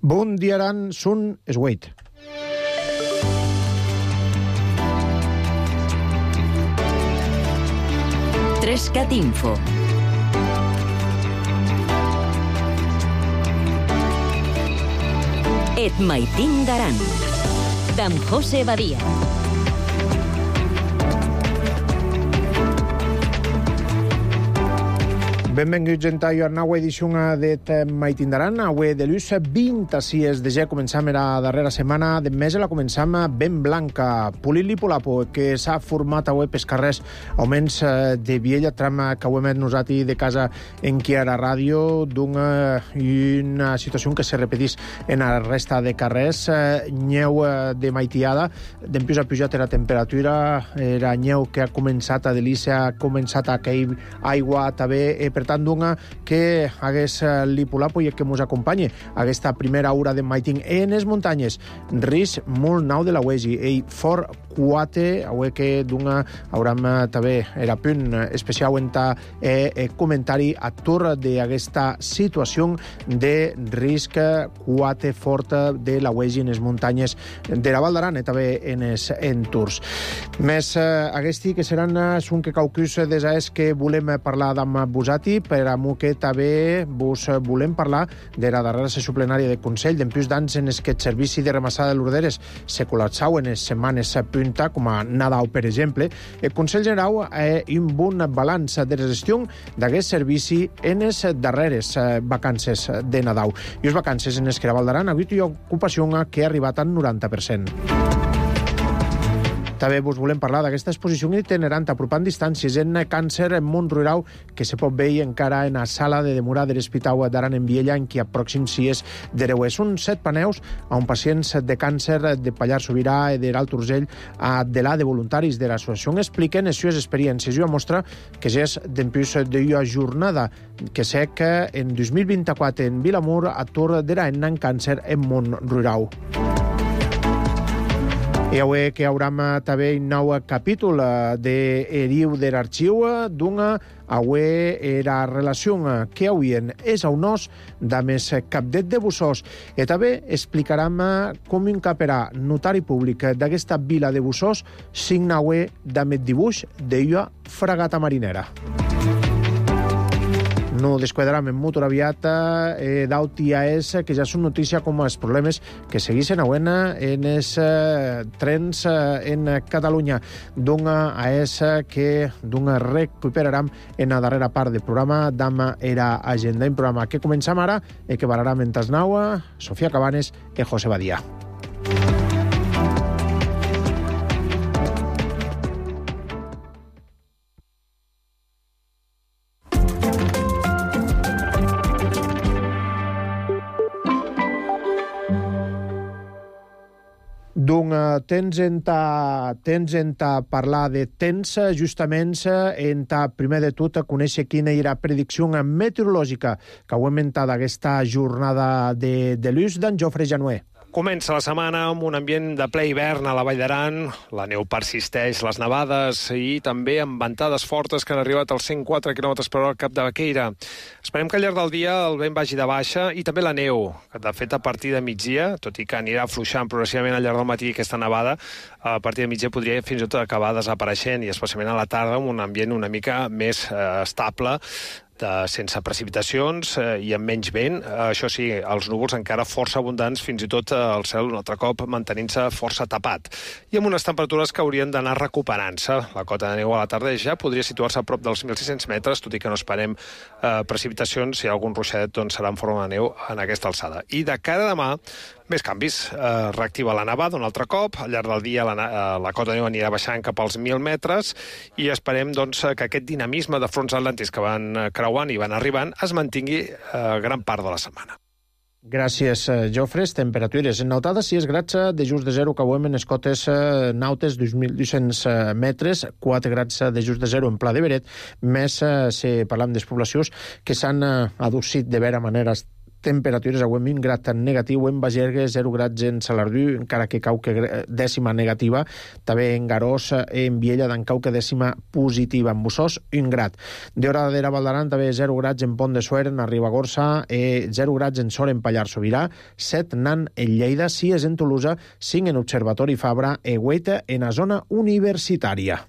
Bundiaran sun Sweit. Trescat Info. Et maitin d'Aran, d'en José Badia. Benvinguts en ta nova edició d'Et maitindaran. Avui de l'ús 26 de gener començam la darrera setmana de mes la començam ben blanca. Pulili Pulapo, que s'ha format avui pels carrers auments de Viella, tram que ho hem nosaltres de casa en Quiara Ràdio, d'una situació que se repetís en la resta de carrers. Nyeu de maitiada, d'empius ha pujat la temperatura, era nyeu que ha començat a delícia, ha començat a cair aigua també, per tant, que hagués l'Ipulapo i que ens acompanyi aquesta primera hora de maiting en les muntanyes. Risc molt nau de la Uesi, i fort 4, avui que hauram també era punt especial en ta comentari a tour d'aquesta situació de risc 4 fort de la Uesi en les muntanyes de la Val d'Aran i també en els entorns. Més aquesti que seran són que caucus des que volem parlar amb vosaltres, per a que també vos volem parlar de la darrera sessió plenària de Consell, d'empius d'anys en els que el servici de ramassada de l'Orderes se col·lapsau en les setmanes punta, com a Nadal, per exemple. El Consell General ha un bon balanç de gestió d'aquest servici en les darreres vacances de Nadal. I les vacances en les que la Val d'Aran ha hagut una ocupació que ha arribat al 90%. També vos volem parlar d'aquesta exposició itinerant apropant distàncies en càncer en món rural que se pot veure encara en la sala de demora de l'Hospital d'Aran en Viella, en qui a pròxims dies d'Ereuer. Són 7 paneus on pacients de càncer de Pallars Sobirà i de l'Alt Urgell de la de voluntaris de l'associació expliquen les seves experiències i una mostra que és d'empius d'una jornada que sé que en 2024 en Vilamur a tour d'Aran en càncer en món rural. I avui que hauram també un nou capítol d'Eriu de l'Arxiu, avui era relació que haurien és a unós de més capdet de Bussós. I també explicarem com encaparà notari públic d'aquesta vila de Bussós signa avui d'amet dibuix d'una fragata marinera. No desquadarem en molt aviat d'AUTIAS, que ja són notícia com els problemes que segueixen avui en els trens en Catalunya. AES que recuperarem en la darrera part del programa d'Ama era agenda. Un programa que començam ara i que parlarem en Tasnau, Sofia Cabanes i José Badia. Tens en parlar de temps, justament en primer de tot conèixer quina era la predicció meteorològica que heu inventat aquesta jornada de l'ús d'en Jofre Januer. Comença la setmana amb un ambient de ple hivern a la Vall d'Aran. La neu persisteix, les nevades i també amb ventades fortes que han arribat als 104 km per hora al Cap de Baqueira. Esperem que al llarg del dia el vent vagi de baixa i també la neu, que de fet a partir de migdia, tot i que anirà afluixant progressivament al llarg del matí aquesta nevada, a partir de migdia podria fins i tot acabar desapareixent i especialment a la tarda amb un ambient una mica més estable, sense precipitacions i amb menys vent. Això sí, els núvols encara força abundants, fins i tot el cel un altre cop mantenint-se força tapat. I amb unes temperatures que haurien d'anar recuperant-se. La cota de neu a la tarda ja podria situar-se a prop dels 1.600 metres, tot i que no esperem precipitacions. Si hi ha algun ruixadet, doncs serà en forma de neu en aquesta alçada. I de cara a demà, més canvis. Reactiva la nevada un altre cop. Al llarg del dia la cota de neu anirà baixant cap als 1.000 metres i esperem doncs, que aquest dinamisme de fronts atlàntics que van creuant i van arribant es mantingui gran part de la setmana. Gràcies, Jofres. Temperatures notades 6 grads de just de zero que veiem en les cotes nautes 2.200 metres, 4 grads de just de zero en Pla de Beret, més si parlam de les poblacions que s'han adocit de vera manera temperatures avui amb un grat negatiu en Bagergue, 0 grats en Salardú, encara que cau que dècima negativa, també en Garós, en Viella d'en cau que dècima positiva, en Bussós, 1 grat. D'hora d'era Valdaran, també 0 grats en Pont de Suert, en Ribagorça, 0 grats en Sor, en Pallars Sobirà, 7 nan en Lleida, 6 en Tolosa, 5 en Observatori Fabra, e 8 en la zona universitària.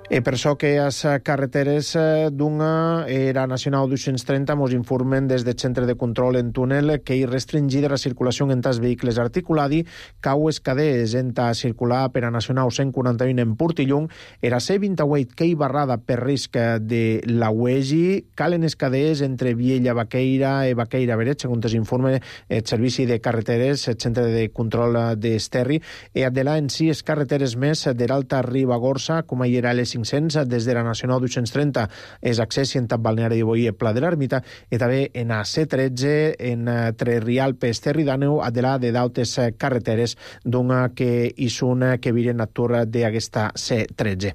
E per això que les carreteres d'una era nacional 230 mos informen des del centre de control en túnel que hi restringida la circulació en tas vehicles articuladi, cau escadés en ta circular per a nacional 141 en Portillung, era C28 que hi barrada per risc de la UEGI, calen escadés entre Viella Baqueira i Baqueira Beret, segons informe el Servici de Carreteres, el centre de control d'Esterri, i de la en 6 carreteres més de l'Alta Ribagorça, com hi era les 500, des de la Nacional 230 és accés en Tap Balneari de Boí i Pla de l'Ermita, i també en a C13 en Rialp Esterri d'Àneu a de la de d'altes carreteres d'una que hi són que viren a tour d'aquesta C13.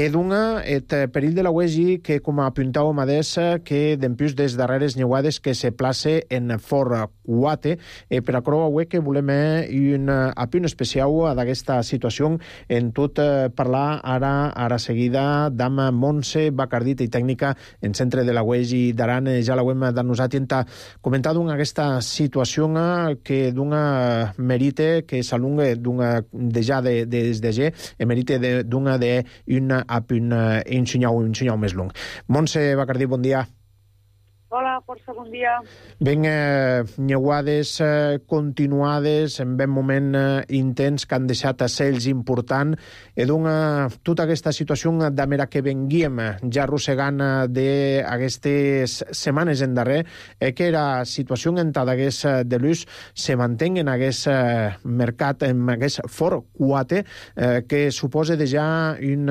D'una, el perill de la UEGI que, com apuntau Amadès, que d'empius des darreres neuades que se place en Fort Cuate, per a creu avui que volem un apunt especial d'aquesta situació en tot parlar ara seguida d'am Montse Bacardita i tècnica en centre de la UEGI d'Aran. Ja la hem denosat i hem comentat aquesta situació que d'una merite que s'alunga d'una ja des de G, merite d'una d'un apunt ensenyau més long. Montse Bacardit, bon dia. Hola, força bon dia. Ben neuades continuades, en ben moment intens que han deixat cells important, i tota aquesta situació de mera que venguíem ja arrossegant d'aquestes setmanes en darrer, que la situació en d'hagués de l'ús se mantenga en aquest mercat, en aquest Fort Cuate, que suposa ja un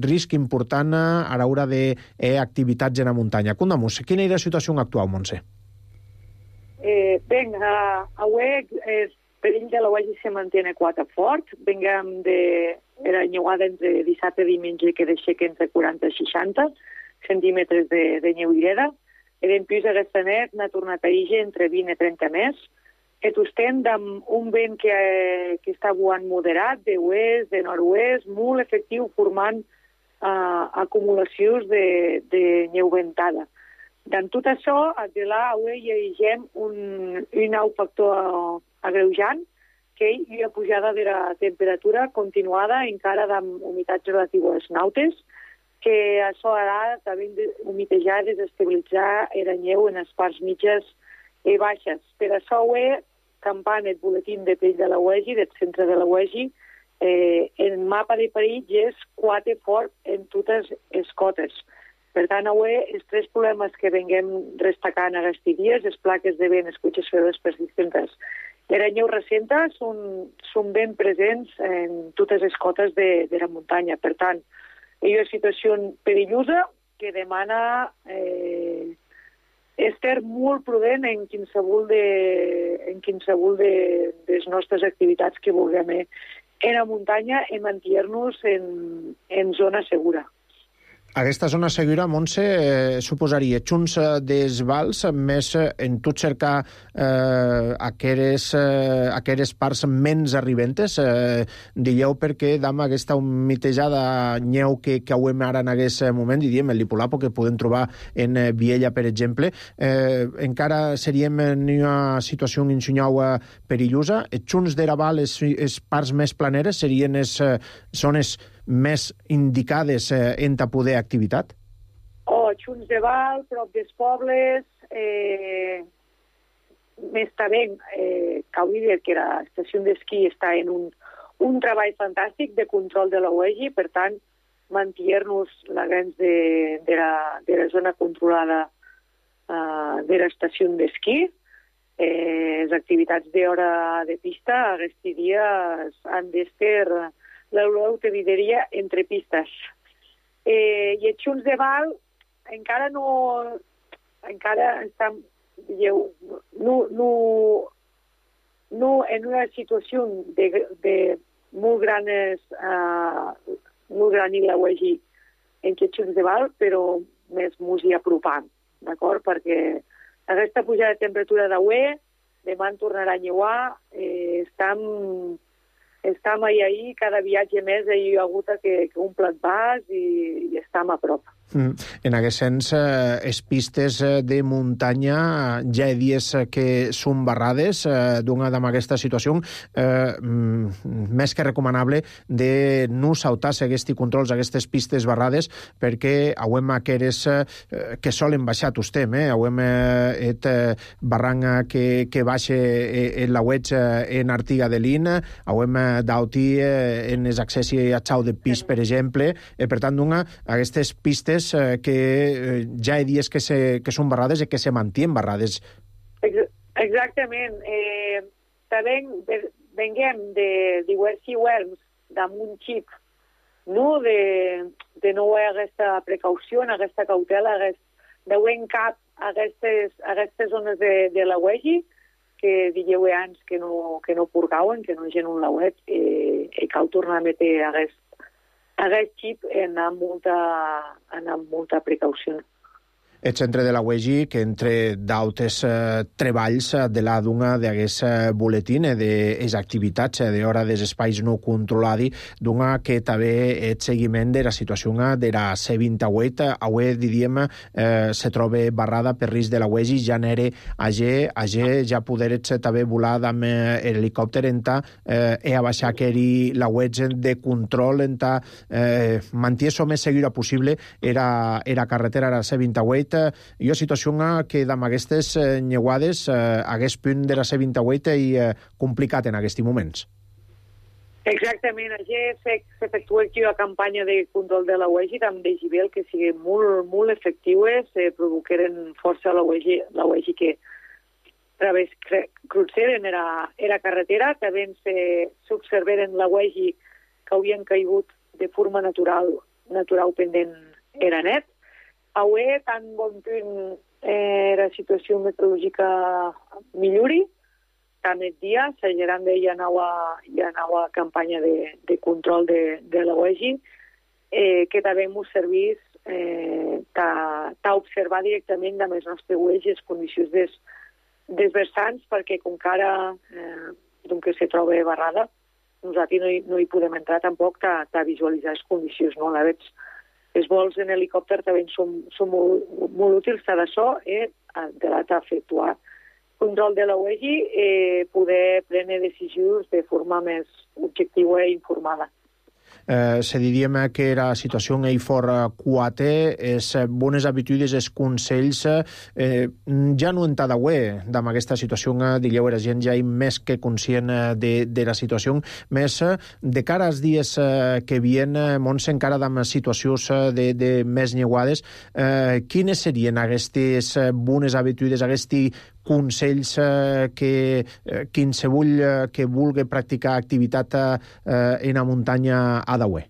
risc important a l'hora d'activitats en la muntanya. Contamus, quina era la situació actual, Montse? Avui el perill de la UEGI se mantiene quate fort. Venguem era nyeuada entre dissabte i diumenge que deixeca entre 40 i 60 centímetres de nyeuireda. En plus aquesta net n'ha tornat a ixer entre 20 i 30 més. Et ostend amb un vent que està buant moderat, de oest, de nord-oest, molt efectiu, formant acumulacions de nyeu ventada. En tot això, de l'AUE hi llegem un nou factor agreujant, que hi ha pujada de la temperatura continuada encara amb humitats relatives nautes, que això harà també humitejar i desestabilitzar la neu en les parts mitges i baixes. Per això campant el boletí de perill de la UEGI, del centre de la UEGI, el mapa de perills és quate fort en totes les cotes. Per tant, avui, els tres problemes que venguem destacant aquests dies, les plaques de vent, les cuixes fredes persistents, la neu recenta són ben presents en totes les cotes de la muntanya. Per tant, hi ha una situació perillosa que demana estar molt prudent en qualsevol de les nostres activitats que vulguem en la muntanya i mantenir-nos en zona segura. Aquesta zona segura, Montse, suposaria junts dels vals, més en tot cercar aqueres parts menys arribentes, dieu perquè dam aquesta humitejada nyeu que cauem ara en aquest moment, diríem, el Lipulapo, que podem trobar en Viella, per exemple, encara seríem en una situació ensenyau perillosa. Junts de la val, les parts més planeres serien les zones més indicades en ta poder activitat? Junts de Val, prop dels pobles, més també Caudider, que l'estació d'esquí està en un treball fantàstic de control de la UEGI, per tant, mantenir-nos la grans de la zona controlada de l'estació d'esquí. Les activitats d'hora de pista aquest dia han d'estar l'Europa diria entre pistes. I els Junts de Val encara estan no en una situació de molt gran la UEGI Xutx de Val, però més mos hi apropam, d'acord? Perquè aquesta pujada de temperatura d'avui, demà en tornarà a lleuar, estem ahir, cada viatge més hi ha hagut que un plat bas i estem a prop. En aquest sens, les pistes de muntanya ja hi dies que són barrades, donada amb aquesta situació, més que recomanable de no saltar-se aquests controls, aquestes pistes barrades, perquè hauem aqueres que solen baixar tostem, hauem et barranc que baixa en la web en Artiga de Lin, hauem d'auti en els accessi a Xau de Pis, per exemple, per tant, aquestes pistes que ja hi dies que són barrades i que se mantien barrades. Exactament. També venguem de diversos hivern damunt xip, no? De no haver aquesta precaució, aquesta cautela, d'haver en cap aquestes zones de la UEGI, que dieu abans que no purgauen, que no gent un lauet, i cal tornar a metre aquest xip amb molta precaució. El centre de la UEGI, que entre d'altres treballs de la d'una d'aquest boletín de activitats d'hora dels espais no controladi, d'una que també el seguiment de la situació de la C28, avui, diríem, se troba barrada per risc de la UEGI, ja n'era AG, ja poderets també volar amb helicòpter enta a baixar que la UEGI de control enta mantés o més segura possible era carretera, la C28. Hi ha situació que amb aquestes nyeuades hagués punt de la C28 i complicat en aquests moments. Exactament. Allà s'efectua aquí la campanya de control de la UEGI amb decibel que siguin molt efectives, provoqueren força a la UEGI que cruceren era carretera, també s'observeren la UEGI que havien caigut de forma natural pendent era net. Avui, tan bon punt la situació meteorològica millori, tant el dia, s'ageran d'ella nova campanya de control de la UEGI, que també ens serveix d'observar directament amb els nostres UEGI les condicions dels vessants, perquè com que ara que se troba barrada, nosaltres no hi podem entrar tampoc a visualitzar les condicions, no? A la veig, els vols en helicòpter també són molt útils, tant això, de efectuar control de la UEGI, poder prendre decisions de forma més objectiva i informada. Se diríem que la situació en fort quate, les bones habitudes, els consells, ja no en cada web amb aquesta situació, diríeu, la gent ja és més que conscient de la situació, més de cara als dies que vien, Montse, encara amb situacions de més nyeuades, quines serien aquestes bones habitudes, aquests consells que qualsevol que vulgui practicar activitat en la muntanya ha d'haver?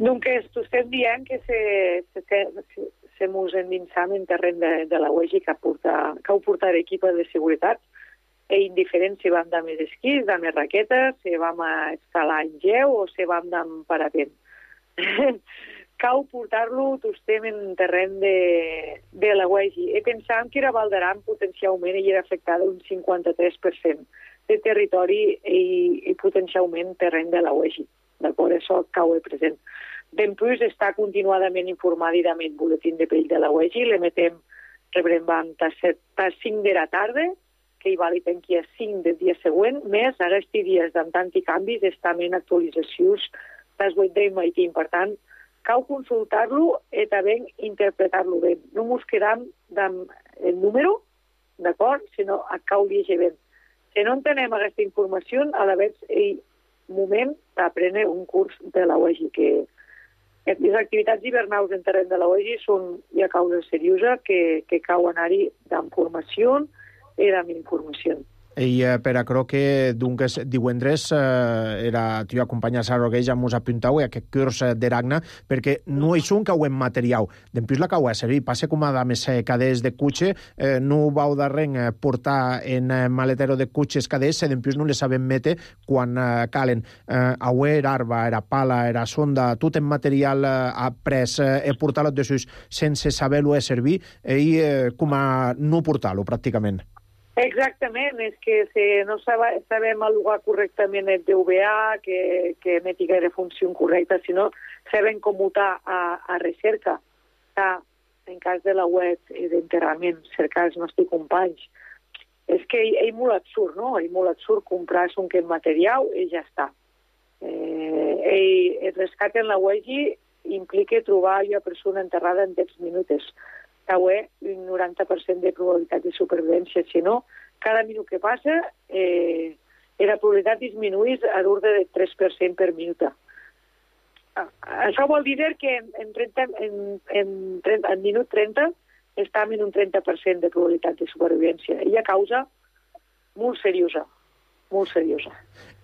Donc, estem dient que se mos endinsam en terreny de la UEGI que heu portat equip de seguretat, indiferent si vam amb els esquís, amb les raquetes, si vam a escalar en geu o si vam amb parapent. Cal portar-lo tostem en terreny de la UEGI. Pensàvem que era Val d'Aran potencialment i era afectada un 53% de territori i potencialment terreny de la UEGI. D'acord, això cau present. Dempuix està continuadament informat amb el boletín de perill de la UEGI, rebrem a 5 de la tarda, que hi valid aquí a 5 del dia següent, més aquests dies amb tant i canvis estan en actualitzacions dels 8 de matí. Per tant, cal consultar-lo i també interpretar-lo bé. No ens quedam amb el número, d'acord, sinó cal llegir bé. Si no entenem aquesta informació, a la vegada és moment d'aprendre un curs de la UEGI, que les activitats hivernals en terreny de la UEGI són ja causa seriosa que cal anar-hi amb formació i amb informació. I per aquerò que dunques divendres tu acompanyes a Rogueix a mos apuntau aquest curs d'Eragna, perquè no és un que ho hem materiau. Dempús la que ho ha servit, passa com a dames cadets de cotxe, no vau d'arren portar en maletero de cotxes cadets, dempús no les sabem mete quan calen. Aué era arba, era pala, era sonda, tot en material après, portar-lo de sus sense saber-lo servir i com a no portar-lo, pràcticament. Exactament, és que no sabem alugar correctament el DVA, que emeti gaire funció correcta, sinó sabem commutar a recerca, en cas de la web d'enterrament, cercar els nostres companys. És que és molt absurd, no? És molt absurd comprar un que material i ja està. El rescat en la web implica trobar una persona enterrada en 10 minuts. També un 90% de probabilitat de supervivència. Si no, cada minut que passa, la probabilitat disminueix a l'ordre de 3% per minut. Això vol dir que en minut 30 estem en un 30% de probabilitat de supervivència. I a causa molt seriosa. Molt seriosa.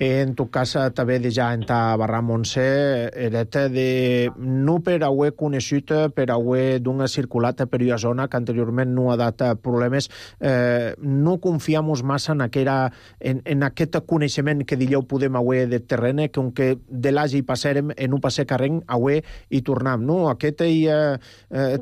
En tot cas, també de ja en ta barra Montse, era de no per haver conegut, per haver d'una circulat per una zona que anteriorment no ha dat problemes, no confiam massa en aquest coneixement que dieu podem haver de terreny, que aunque de l'agi passarem, en un passer carreny, haver i tornam, no? Aquest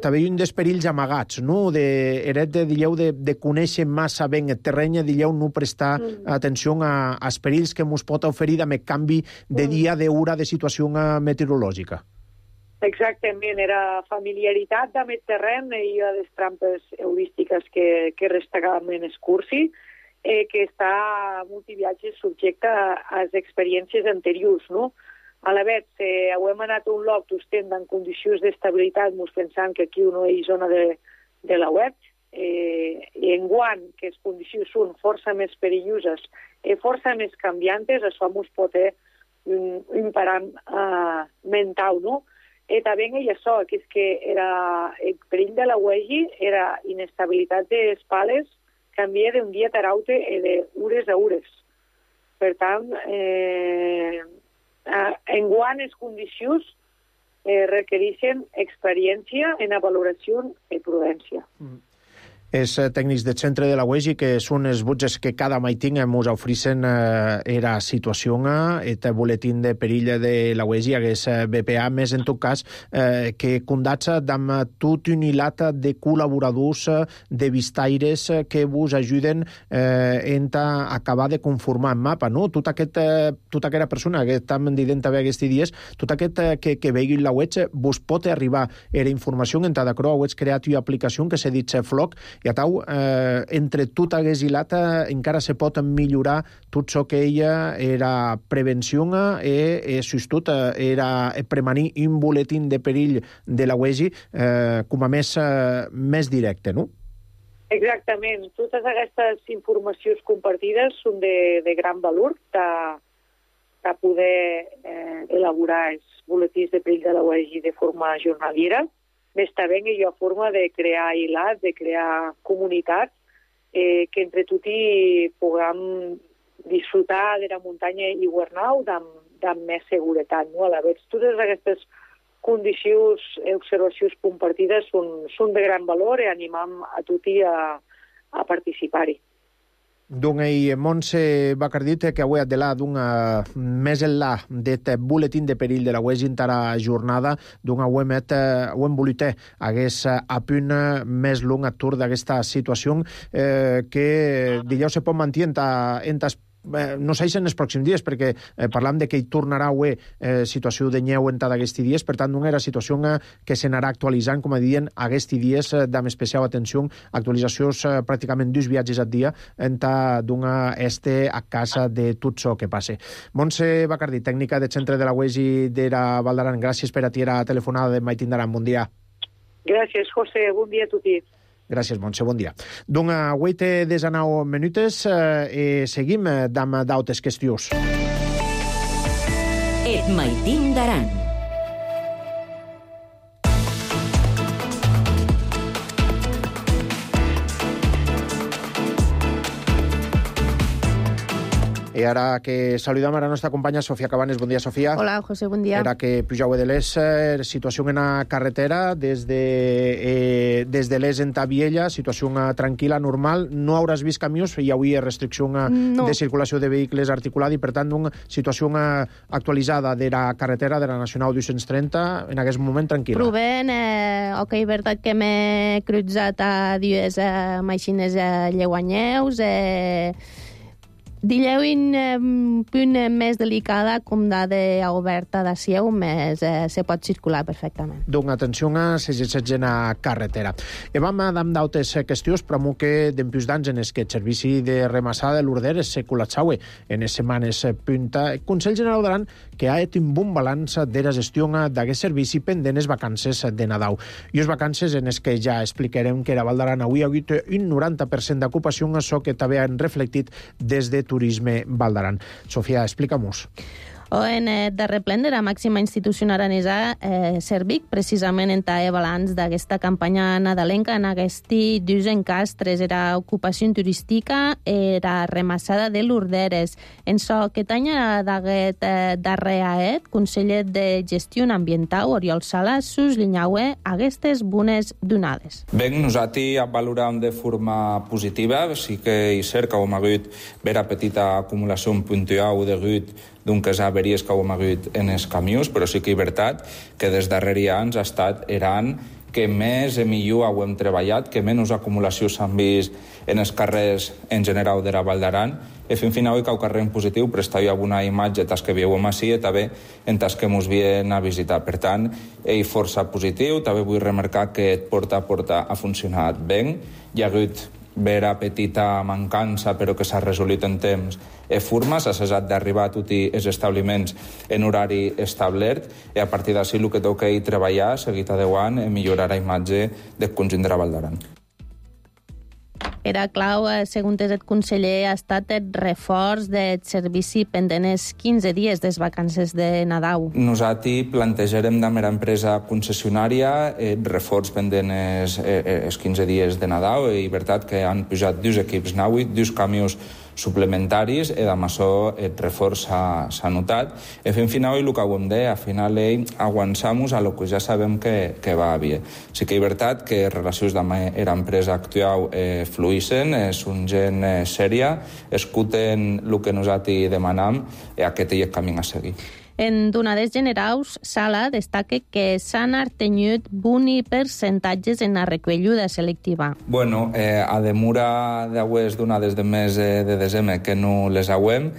també hi ha un dels perills amagats, no? Eret de, dieu, de conèixer massa ben el terreny, dieu, no prestar atenció als perills que ens pot oferir amb el canvi de dia, d'hora, de situació meteorològica. Exactament, era familiaritat amb el terreny i les trampes heurístiques que restagaven en el cursi, que està multiviatges subjecte a les experiències anteriors, no? A la vegada, hem anat a un lloc estem en condicions d'estabilitat, ens pensant que aquí no hi ha zona de la web, i enguany que les condicions són força més perilloses i força més canviantes, això ens pot ser un param mental, no? I també hi ha això, que és que el perill de la UEGI era inestabilitat de les pales, canvia d'un dia a l'altre i d'hores a hores. Per tant, enguany les condicions requereixen experiència en la valoració i prudència. Els tècnics del centre de la UEGI, que són els butges que cada maiting ens ofereixen era situació, el boletín de perill de la UEGI hagués BPA, més en tot cas que condats amb tot un hilat de col·laboradors, de vistaires que vos ajuden a acabar de conformar el mapa, no? Tota aquella persona que estem dient també aquests dies, tot aquest que vegi la web vos pot arribar era informació en cada cro, heu creat una aplicació que s'ha dit Floc, i a tau, entre tot hagués hilat, encara se pot millorar tot això que ella era prevenció i sustot era premanir un boletín de perill de la UEGI com a més directe, no? Exactament. Totes aquestes informacions compartides són de gran valor de poder elaborar els boletins de perill de la UEGI de forma jornaliera. Més també hi ha forma de crear hilats, de crear comunitats, que entre tots puguem disfrutar de la muntanya i Guernau amb més seguretat. No? A la vegada, totes aquestes condicions i observacions compartides són de gran valor i animam a tothom a participar-hi. Donc, Montse Bacardit, que avui adelà més enllà d'aquest boletín de perill de la UEGI en la jornada, hem volut hagués a punt més long atur d'aquesta situació que, dijous, se pot mantenir en no sé si en els pròxims dies, perquè parlam de que hi tornarà a situació de neu en d'aquests dies, per tant, era situació que s'anarà actualitzant, com a dient, aquests dies d'amb especial atenció, actualitzacions pràcticament 2 viatges al dia en donar a casa de tot això que passe. Montse Bacardí, tècnica del centre de la UEGI de la Val d'Aran, gràcies per atendre la telefonada de Mai Tindaran. Bon dia. Gràcies, José. Bon dia a tothom. Gràcies, Montse, bon dia. Donc, avui té 19 minutes i seguim amb d'altres qüestions. Et Maitin d'Aran. I ara que saludam a la nostra companya Sofia Cabanes. Bon dia, Sofia. Hola, José, bon dia. Era que pujau de l'Es, situació en la carretera, des de l'Es en Tabiella, situació tranquil·la, normal. No hauràs vist camions, hi havia restricció de circulació de vehicles articulada i, per tant, una situació actualitzada de la carretera de la Nacional 230 en aquest moment tranquil·la. Provem, veritat que m'he crutzat a dues màquines lleuanyeus, Dileu un punt més delicada com dada oberta de sieu, més se pot circular perfectament. Donc, atenció a s'exerceix en la carretera. I vam amb d'altres qüestions, però que d'empius d'anys en que el servici de remassada de l'Urder se col·lapsava en les setmanes punta. El Consell General d'Aran que ha fet un bon balanç de la gestió d'aquest servici pendent les vacances de Nadal. I les vacances en les que ja explicarem que a Val d'Aran avui ha hagut un 90% d'ocupació, això que també han reflectit des de Turisme Val d'Aran. Sofia, explica-nos. En el darrer ple de la màxima institució aranesa, Servic, precisament en tae balanç d'aquesta campanya nadalenca, en aquests dos encastres, era ocupació turística, era remassada de l'Urderes. En so, aquest any d'aquest darrer AET, conseller de Gestió Ambiental, Oriol Sala, suslinyaue aquestes bones donades. Ben, nosaltres valorem de forma positiva, sí que és cert que hem hagut vera petita acumulació puntual de gut d'un que averies que hem hagut en els camions, però sí que és veritat que des darrere anys ha estat Aran que més i millor hem treballat, que menys acumulació s'han vist en els carrers en general de la Val d'Aran. I fins final que el carrer en positiu, però està una imatge tas que vieu així i també en tas que ens vien a visitar. Per tant, és força positiu. També vull remarcar que porta a porta ha funcionat bé. Hi ha hagut vera petita mancança, però que s'ha resolit en temps forma, s'ha cessat d'arribar a tots els establiments en horari establert i a partir d'ací el que toca és treballar, seguit adequant, i millorar la imatge del conjunt de la Val d'Aran. Era clau, segons el conseller, ha estat el reforç del servici pendent els 15 dies de vacances de Nadal. Nosaltres plantejarem de mera empresa concessionària reforç pendent els 15 dies de Nadal i veritat que han pujat 2 equips naui, 2 camions suplementaris i amb això el reforç s'ha notat. I fins final, el que hem de, al final aguantem-nos a lo que ja sabem que va bé. Sí que és veritat que relacions amb l'empresa actual fluïssen, és un gent sèria, escuten el que nosaltres demanam i aquest és el camí a seguir. En donades generals, Sala destaca que s'han artenyut boni percentatges en la recolluda selectiva. Bueno, a demora d'aues donades de mes de desembre que no les hauem,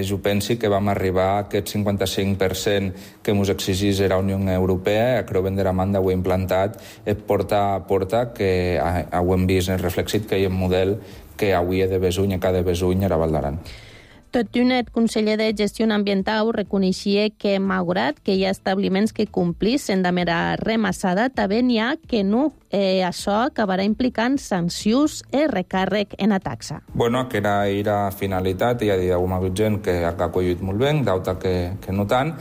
jo penso que vam arribar a aquest 55% que ens exigís la Unió Europea, que ben de la manda ho he implantat porta a porta, que ho hem vist reflexit que hi ha un model que avui de Besuny, cada Besuny era Val d'Aran. Tot un el conseller de Gestió Ambiental reconeixia que, malgrat que hi ha establiments que complissin de mera remassada, també n'hi ha que no. Això acabarà implicant sancions i recàrrec en la taxa. Bueno, aquesta era la finalitat, hi ha d'haver hagut gent que ha acollit molt bé, d'altra que no tant,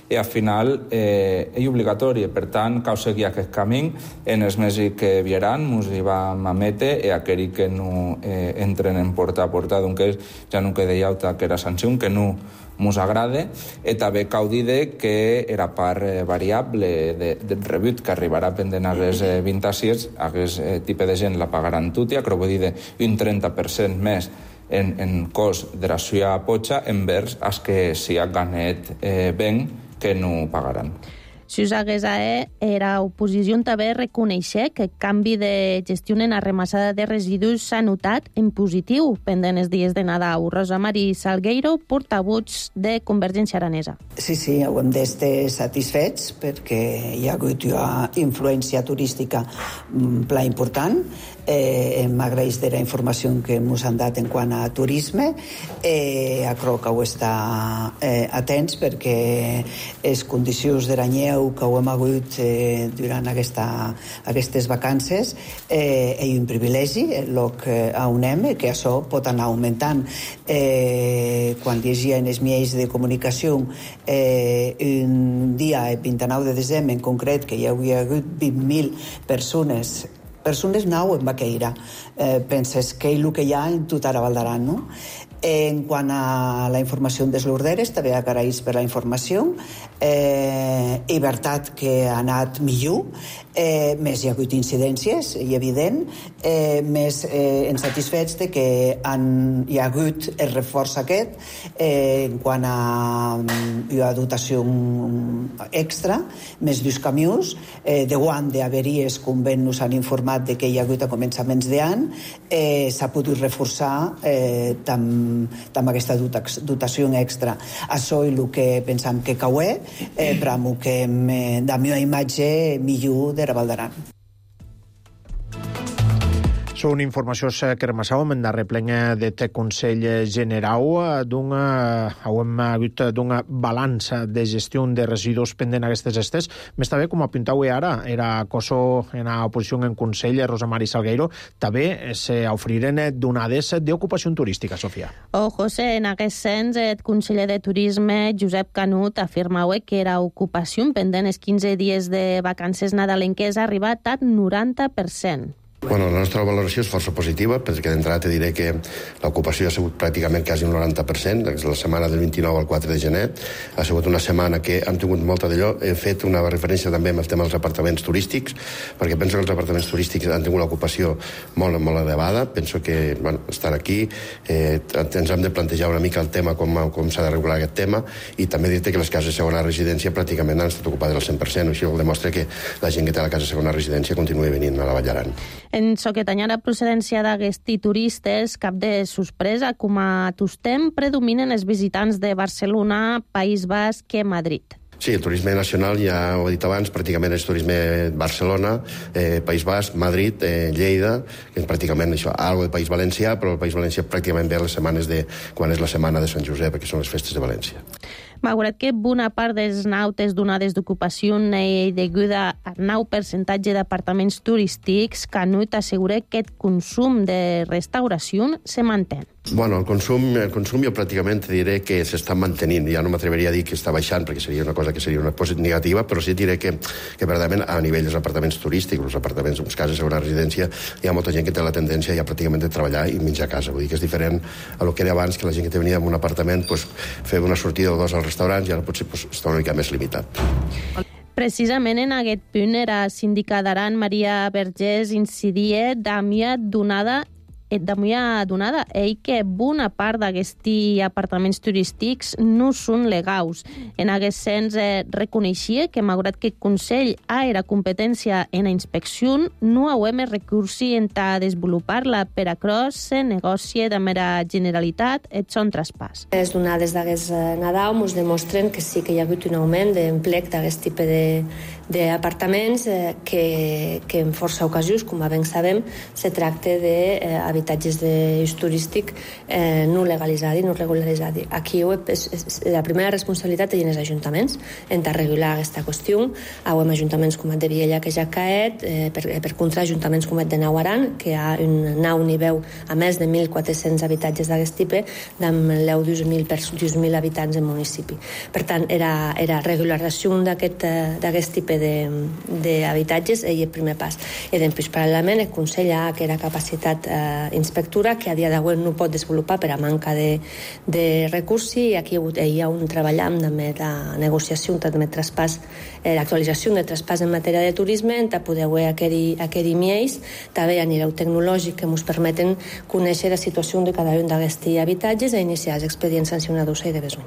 i al final és obligatori. Per tant, cal seguir aquest camí. En els mesos que vieran ens hi vam emetre i aquells que no entren en porta a porta, doncs ja no queda altra que era sanció, que no ens agrada, i també cal dir que era part variable del rebut que arribarà pendent a les 26, aquest tipus de gent la pagaran tota, que vull dir un 30% més en cost de la suya potxa envers els que s'hi ha ganat ben que no pagaran. Si us hagués era oposició també reconèixer que el canvi de gestió en la remassada de residus s'ha notat en positiu pendent els dies de Nadal. Rosa Mari Salgueiro, portavoz de Convergència Aranesa. Sí, ho hem d'estar satisfets perquè hi ha hagut una influència turística pla important. M'agraeix de la informació que ens han dat en quant a turisme. Crec que ho està atents perquè les condicions de l'anyeu que ho hem hagut durant aquestes vacances és un privilegi el que anem, que això pot anar augmentant. Quan llegia en els mitjans de comunicació un dia, el 29 de desembre en concret, que hi havia hagut 20.000 persones nou en Baqueira. Penses que és el que hi ha en tota la Val d'Aran, no? En quant a la informació des l'Orderes, també agraïs per la informació. És veritat que ha anat millor, més hi ha hagut incidències, i evident, més ens satisfets de que hi ha hagut el reforç aquest en quant a dotació extra, més dos camions, de guant d'haveries, com ben nos han informat de que hi ha hagut a començaments d'any, s'ha pogut reforçar amb aquesta dotació extra. Això és el que pensam que caué, però que da meva imatge millor de Raval d'Aran. Són informacions que remassàvem en darrer plen d'aquest Consell Generau hem hagut d'una balança de gestió de residus pendent aquestes estes. Més també, com apuntau ara, era cosa en oposició en Consell, Rosa Mari Salgueiro, també s'ofriren donades d'ocupació turística, Sofia. José, en aquest sens, el conseller de Turisme, Josep Canut, afirmava que era ocupació pendent els 15 dies de vacances nadalenques ha arribat al 90%. Bueno, la nostra valoració és força positiva, perquè d'entrada te diré que l'ocupació ha sigut pràcticament quasi un 90%, la setmana del 29 al 4 de gener. Ha sigut una setmana que hem tingut molta d'allò. He fet una referència també amb el tema dels apartaments turístics, perquè penso que els apartaments turístics han tingut una ocupació molt, molt elevada. Penso que estan aquí, ens hem de plantejar una mica el tema, com s'ha de regular aquest tema, i també dir-te que les cases de segona residència pràcticament han estat ocupades al 100%, així ho demostra que la gent que té la casa de segona residència continua venint a la Vall d'Aran. En so que tenia la procedència d'aquests turistes, cap de sorpresa, com a tostem, predominen els visitants de Barcelona, País Basc i Madrid. Sí, el turisme nacional, ja ho he dit abans, pràcticament és turisme Barcelona, País Basc, Madrid, Lleida, que és pràcticament això, algo de País Valencià, però el País Valencià pràcticament ve a les setmanes quan és la setmana de Sant Josep, que són les festes de València. Malgrat que bona part dels nautes donades d'ocupació deguda al 9% d'apartaments turístics, Canut assegura que el consum de restauració se manté. Bueno, el consum jo pràcticament diré que s'està mantenint. Ja no m'atreveria a dir que està baixant, perquè seria una cosa que seria una cosa negativa, però sí diré que verdaderament a nivell dels apartaments turístics, els apartaments, les cases de segona residència, hi ha molta gent que té la tendència ja pràcticament de treballar i menjar a casa. Vull dir que és diferent a lo que era abans, que la gent que venia en un apartament fer una sortida o dos als restaurants i ara potser està una mica més limitat. Precisament en aquest punt era síndica d'Aran, Maria Vergés, incidia Damià Donada, que bona part d'aquests apartaments turístics no són legals. En aquest sens, reconeixia que, malgrat que el Consell era competència en la inspecció, no hauem recursi en desenvolupar-la. Per això se negocia de mera generalitat el son traspàs. Les donades d'aquest Nadal ens demostren que sí que hi ha hagut un augment d'emplec d'aquest tipus d'apartaments que en força ocasions, com ben sabem, se tracta d'habitatges d'ús turístic no legalitzats, no regularitzats. Aquí la primera responsabilitat és dels ajuntaments en regular aquesta qüestió. Hem ajuntaments com el de Viella, que ja ha caet, per contra ajuntaments com el de Nauaran, que hi ha un nou nivell a més de 1.400 habitatges d'aquest tipus, amb 10.000 habitants en municipi. Per tant, era regularització d'aquest tipus d'habitatges i el primer pas. I després, paral·lelament, el Consell ha que era capacitat inspectora que a dia d'avui no pot desenvolupar per a manca de recursos, i aquí hi ha un treball amb la negociació, també traspàs, l'actualització de traspàs en matèria de turisme, on podeu aquells miells, també a nivell tecnològic que ens permeten conèixer la situació de cada un d'aquests habitatges i iniciar els expedients sancionadors i de besoin.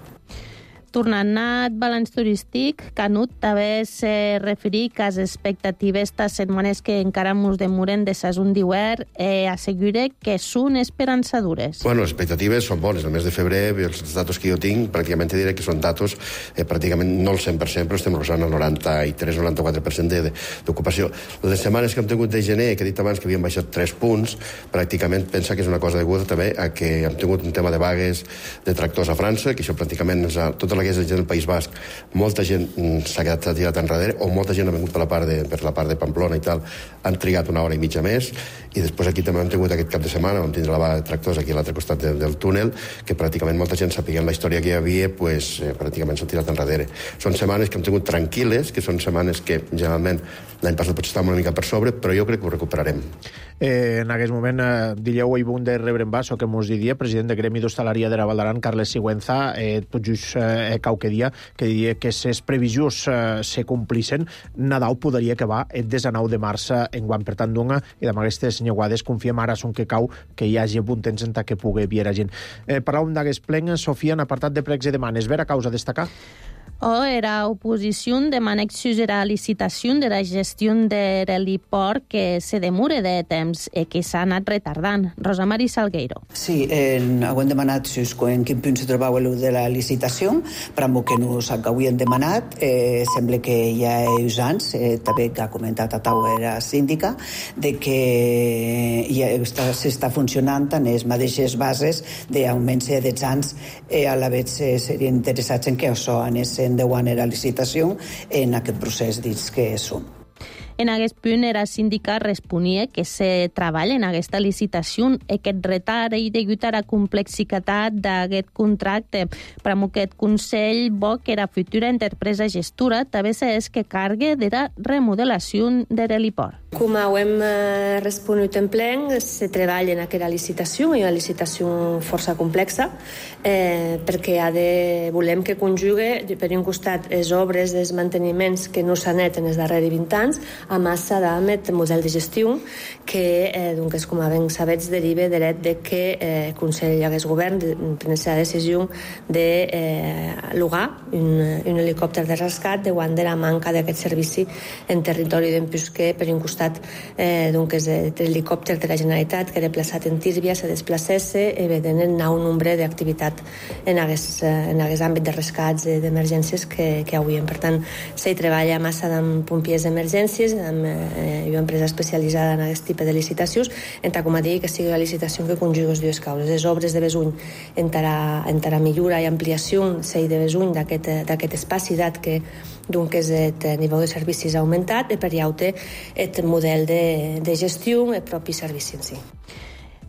Tornant al balanç turístic, Canut també se referí que les expectatives estas setmanes que encara ens demoren de sason d'hivern assegura que són esperançadores. Bueno, les expectatives són bones. El mes de febrer, els datos que jo tinc, pràcticament diré que són datos pràcticament no el 100%, però estem rosant el 93-94% d'ocupació. Les setmanes que hem tingut de gener, que he dit abans que havien baixat 3 punts, pràcticament pensa que és una cosa deguda també a que hem tingut un tema de vagues de tractors a França, que això pràcticament tota la la que és la gent del País Basc, molta gent s'ha tirat enrere, o molta gent ha vingut per la part de Pamplona i tal, han trigat una hora i mitja més, i després aquí també hem tingut aquest cap de setmana, vam tindre la vaga de tractors aquí a l'altre costat del túnel, que pràcticament molta gent sapiguent la història que hi havia, pues, pràcticament s'ha tirat enrere. Són setmanes que hem tingut tranquil·les, que són setmanes que generalment l'any passat potser estàvem una mica per sobre, però jo crec que ho recuperarem. En aquest moment, dileu i bon de rebre en basso, que mos diria, president de Gremi d'Hostaleria de la Val d'Aran, Carles Sigüenza, tot just qualque dia, que diria que ses previsions se complissen, Nadal podria acabar el 19 de març enguany. Per tant, doncs, i amb aquestes nyuades confiem ara son que cau que hi hagi bon temps en que pugui viure gent. Parlàvem d'aquest plen, Sofia, en apartat de pregs i demanes. Vera causa a destacar? Era oposició demana exigir la licitació de la gestió de l'heliport que se demore de temps i que s'ha anat retardant. Rosa Mari Salgueiro. Sí, hem demanat en quin punt se trobava el de la licitació, per amb que nos havíem demanat, sembla que hi ha uns anys, també que ha comentat a taula la síndica, de que s'està funcionant en les mateixes bases d'augment de 10 anys, a la vegada serien interessats en que això anés endeuant la licitació en aquest procés dins que som. En aquest punt, la síndica responia que se treballa en aquesta licitació i aquest retard i degut a la complexitat d'aquest contracte. Per aquest Consell bo que la futura empresa gestora també és que cargue de la remodelació de l'heliport. Com ho hem respost en plen, se treballa en aquesta licitació, i una licitació força complexa, perquè volem que conjugue, per un costat, les obres, els manteniments que no s'han net en els darrers 20 anys, a massa d'aquest model de gestió que, com a ben sabets, deriva de l'et de que el Consell i el Govern prengués la decisió de llogar un helicòpter de rescat davant de la manca d'aquest servici en territori d'Empús, que per un costat l'helicòpter de la Generalitat que era plaçat en Tírbia se desplacés i vedent el nou nombre d'activitat en aquest àmbit de rescats i d'emergències que hauríem. Per tant, s'hi treballa massa amb pompiers d'emergències, amb una empresa especialitzada en aquest tipus de licitacions, com a dir que sigui la licitació que conjugui les dues causes. Les obres de besuny entre millora i ampliació s'hi de besuny d'aquest espaci dat que el nivell de servicis ha augmentat i per llaute el model de gestió el propi servici en si.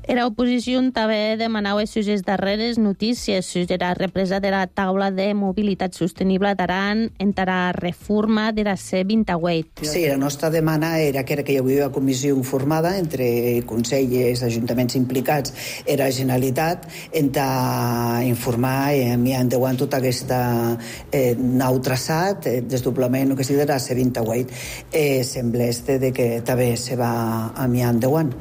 Era oposició també demanava les darreres notícies sobre la represa de la taula de mobilitat sostenible d'Aran entre la reforma de la C28. Sí, la nostra demanda era que hi havia una comissió formada entre el Consell i els ajuntaments implicats i la Generalitat per informar i enviar endavant tot aquest nou traçat, desdoblament que sigui de la C28. Sembla que també se va enviar endavant.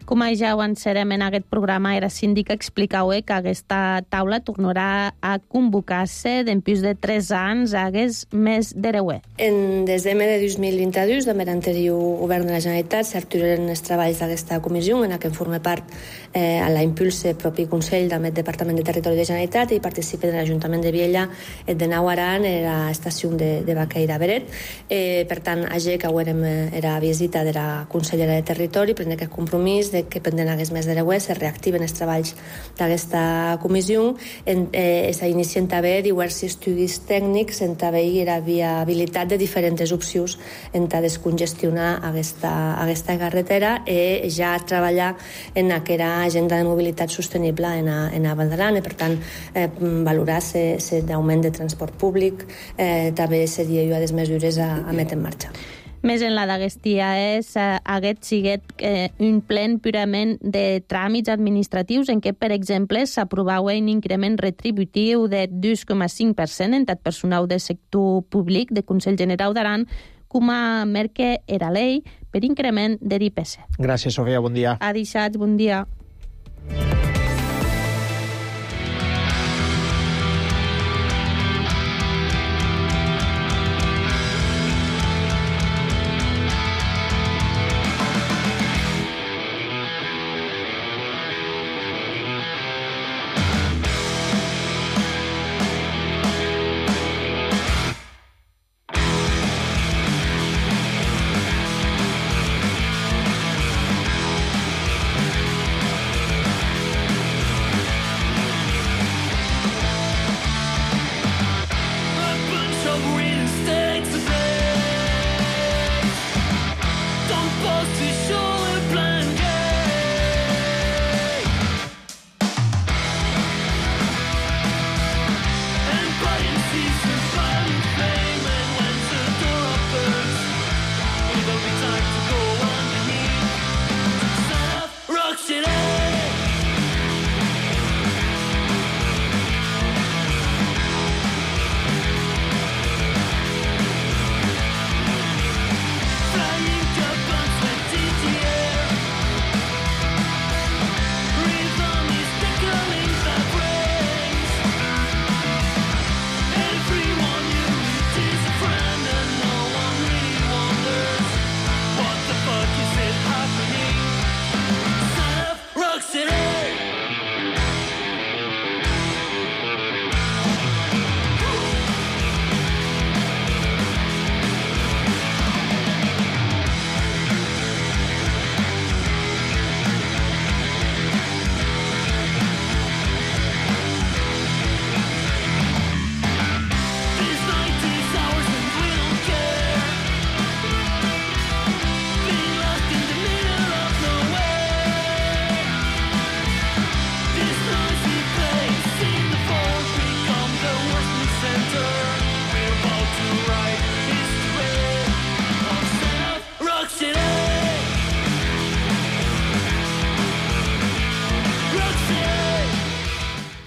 Com ja avançarem en aquest programa, la síndica explicava que aquesta taula tornarà a convocar-se d'empús de 3 anys hagués més de 10. En desembre de 2022, de l'anterior govern de la Generalitat, s'arturen els treballs d'aquesta comissió, en què forma part a la impulsa el propi Consell del Departament de Territori de Generalitat i participa de l'Ajuntament de Viella, de Nau Aran, l'estació de Baqueira Beret. Per tant, que era visita de la consellera de Territori, prendre aquest compromís de que pendent hagués més de l'EUE se reactiven els treballs d'aquesta comissió. S'inicien també diversos estudis tècnics en també la viabilitat de diferents opcions en descongestionar aquesta carretera i ja treballar en aquesta agenda de mobilitat sostenible en Val d'Aran. Per tant, valorar l'augment de transport públic també seria una de les mesures a metre en marxa. Més en la d'aquest dia haguet sigut un plen purament de tràmits administratius en què, per exemple, s'aprovava un increment retributiu de 2,5% en tot personal del sector públic de Consell General d'Aran, com a merque era llei per increment de l'IPC. Gràcies, Sofia. Bon dia. Adixats, bon dia.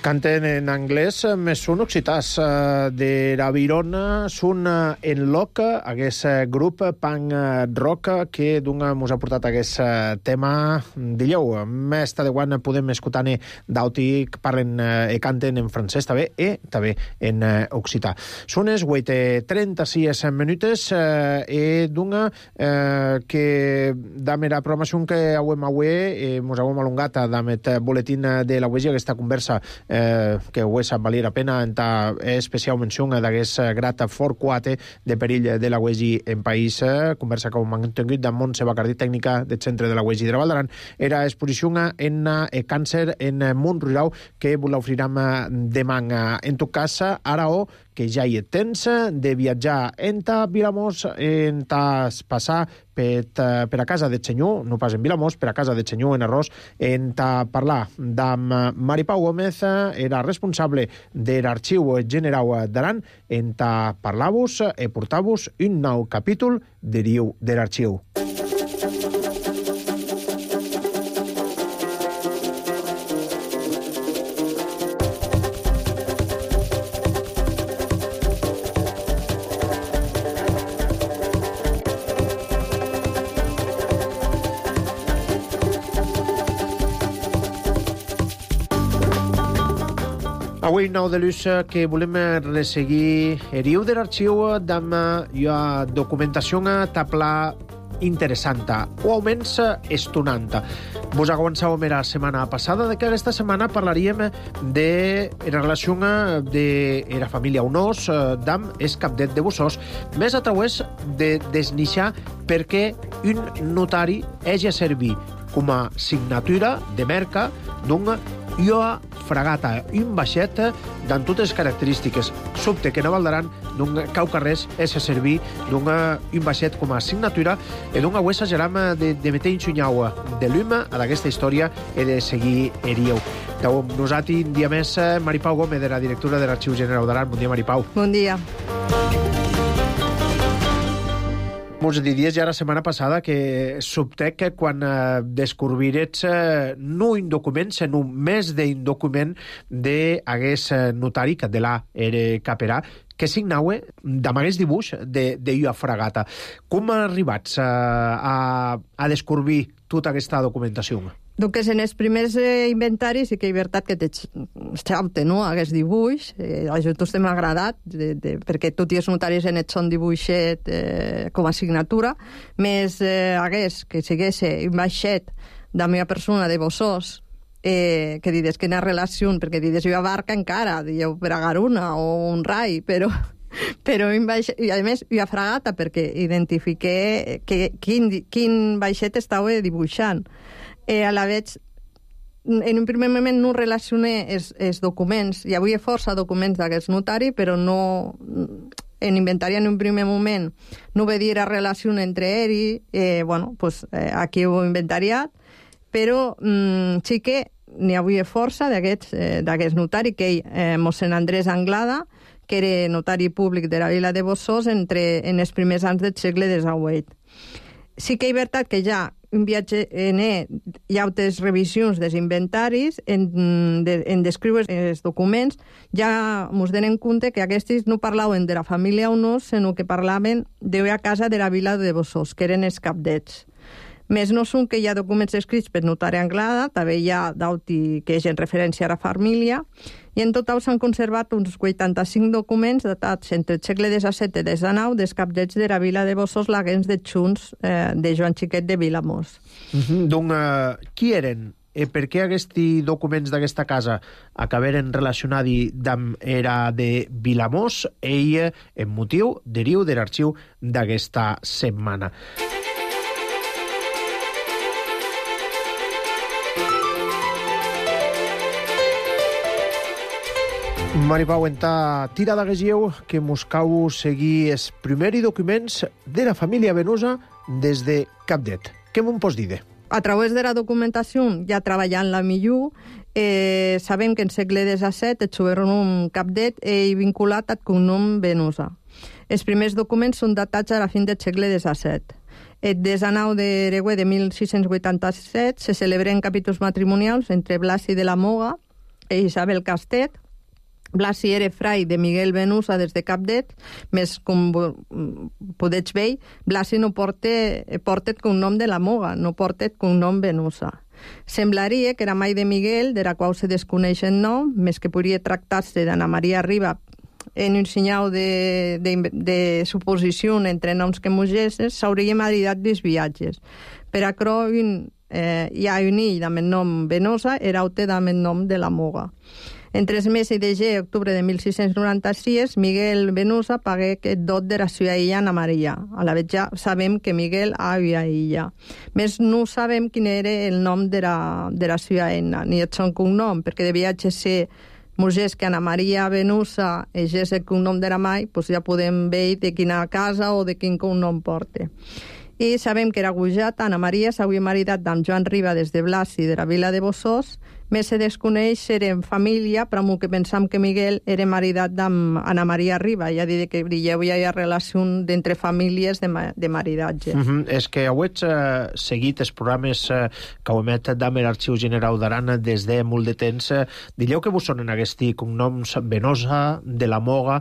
Canten en anglès, més són occitans de la Virona, són en loc, aquest grup punk rock que mos ha portat aquest tema d'illeu. Més de quan podem escoltar-ne d'auti que parlen i canten en francès també i també en occità. Són les 8:36 minutes i que dame la programació que avem avui mos hem alongat amb el boletín de la UESI, aquesta conversa que ho és valir la pena en especial menció d'aquest grat fort 4 de perill de la UESI en país, conversa que hem mantingut amb Montse Bacardí, tècnica del centre de la UESI de la Val d'Aran. Era exposició en càncer en món rural que vos l'oferirem demà. En tot cas, ara que ja hi tens de viatjar enta Vilamós, passar per a casa de Senyor, no pas en Vilamós, per a casa de Senyor en Arròs, parlar amb Maripau Gómez, era responsable de l'Arxiu General d'Aran, parlar-vos i portar-vos un nou capítol de l'Arxiu. Avui, 9 de l'ús, que volem resseguir eriu de l'arxiu amb la documentació tabla interessant, o almenys estonant. Vos avançàvem la setmana passada que aquesta setmana parlaríem de la relació de la família Unós amb el capdet de Bossòs, més a través de desnixar perquè un notari hagi servir com a signatura de merca d'un ioa fragata, un vaixet amb totes les característiques. Sobte que a Val d'Aran d'un caucarrés és a servir d'un vaixet com a signatura i d'un agüessa geram de meter insunyau de l'hum a d'aquesta història i de seguir erieu. Nosaltres, un dia més, Maripau Gómez, de la directora de l'Arxiu General d'Aran. Bon dia, Maripau. Bon dia. Mos diries ja la setmana passada que sobte que quan descobrires no un document, sinó més d'un document d'aguest notari, que de la era caperà, que signaue amb aquest dibuix de ua fragata. Com arribats a descobrir tota aquesta documentació? Donc, en els primers inventaris sí que és veritat que t'exalta, no?, aquest dibuix. A nosaltres m'ha agradat, perquè tots els notaris en et són dibuixet com a signatura, més hagués que sigués un baixet de la meva persona de Bossòs, que dides que n'ha relació, perquè dides jo a barca encara, dieu per a Garuna o un rai, però i a més jo a fragata, perquè identifiqué quin baixet estava dibuixant. A la veig, en un primer moment no relacioné els documents. Hi havia força documents d'aquest notari, però no, en inventari en un primer moment no veia la relació entre ells. Bueno, pues aquí ho he inventariat, però sí que n'hi havia força d'aquest notari, que ell, mossèn Andrés Anglada, que era notari públic de la vila de Bossòs en els primers anys del segle XVIII. Sí que és veritat que ja un viatge hi ha altres revisions dels inventaris en descriure els documents, ja ens donem compte que aquests no parlaven de la família Unós, sinó que parlaven d'una casa de la vila de Bossòs, que eren els capdets. Més no són que hi ha documents escrits per notari Anglada, també hi ha d'auti que és en referència a la família, i en total s'han conservat uns 85 documents datats entre el segle XVII i XIX dels capdets de la vila de Bossòs, laguens de Xuns, de Joan Xiquet de Vilamós. Donc, qui eren? Per què aquests documents d'aquesta casa acabaren relacionats amb era de Vilamós? Ell, en motiu, deriu de l'arxiu d'aquesta setmana. Maripau, enta tira d'Aguesieu que mos cau seguir els primers documents de la família Venosa des de Capdet. Què m'ho pots dir? A través de la documentació, ja treballant la millor, sabem que en segle XVII el sobrenom Capdet és vinculat al cognom Venosa. Els primers documents són datats a la fin del segle XVII. El 19 d'Eregüe de 1687 se celebren capítols matrimonials entre Blasi de la Moga, Isabel Castet. Blasi era frai de Miguel Venusa des de Capdet, més com podeu veure, Blasi no portet cognom de la Moga, no portet cognom Venusa. Semblaria que era mai de Miguel, de la qual se desconeix el nom, més que podria tractar-se d'Anna Maria Riba en un senyal de suposició entre noms que mugesses, s'hauria maridat dels viatges. Per acrò, hi ha un ill amb el nom Venosa, era aute amb el nom de la Moga. Entre els mesos de gener i octubre de 1696, Miguel Venusa pagué aquest dot de la seva illa Anna Maria. A la vez ja sabem que Miguel havia illa. Més no sabem quin era el nom de la seva eina, ni el seu cognom, perquè devia ser Mugés que Anna Maria Venusa és el cognom de la mai, doncs ja podem veure de quina casa o de quin cognom porta. I sabem que era gujat, Anna Maria s'havia maridat amb Joan Riba des de Blasi de la vila de Bossós, més se desconeix ser en família, però amb que pensam que Miguel era maridat amb Anna Maria Riba, ja diré que hi havia relació d'entre famílies de maridatge. És que heu seguit els programes que heu emet d'Amer Arxiu General d'Aran des de molt de temps. Dileu que vos sonen aquests cognoms Venosa, de la Moga,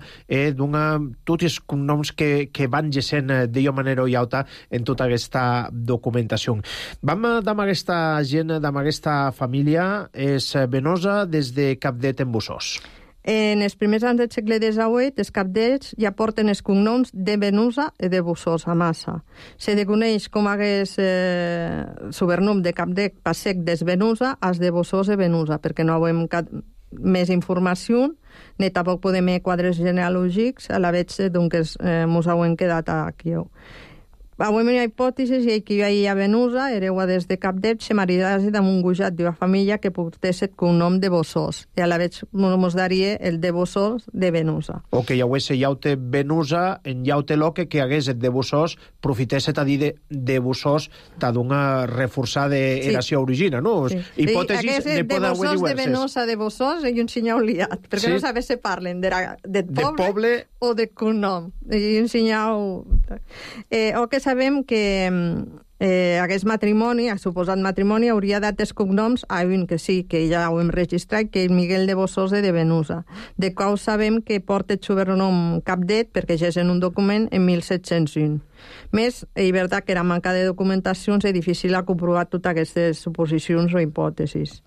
tots els cognoms que van gessent d'una manera o altra en tota aquesta documentació. Vam amb aquesta gent, amb aquesta família, és Venosa des de Capdet en Bossós. En els primers anys del segle XVIII, els capdets ja porten els cognoms de Venusa i de Bossós, a massa. Se coneix com hagués sobrenom de Capdet Passec des Venusa als de Bossós i Venusa, perquè no hem més informació, ni tampoc podem fer quadres genealògics a la vegada que ens hem quedat aquí. Avui hi ha hipòtesis que hi ha Venusa, hereu des de Capdet, se maridase amb un gujat d'una família que portés el cognom de Bossós, i a la vegada ens daria el de Bossós de Venusa. O que hi hagués llaute Venusa en llaute loque que hagués el de Bossós, profitesset a dir de Bossós ta d'una reforçada eració origina, no? Hipòtesis ne poden haver diverses. De Venosa de Bossós i un senyal liat, perquè no sabés si parlen de poble o de cognom. I un senyal... O que sabem que aquest matrimoni, el suposat matrimoni, hauria dat els cognoms a un que sí, que ja ho hem registrat, que és Miguel de Bossós de Venusa, de qual sabem que porta el sobrenom Capdet, perquè ja és en un document en 1701. Més, és veritat que era manca de documentacions és difícil comprovar totes aquestes suposicions o hipòtesis.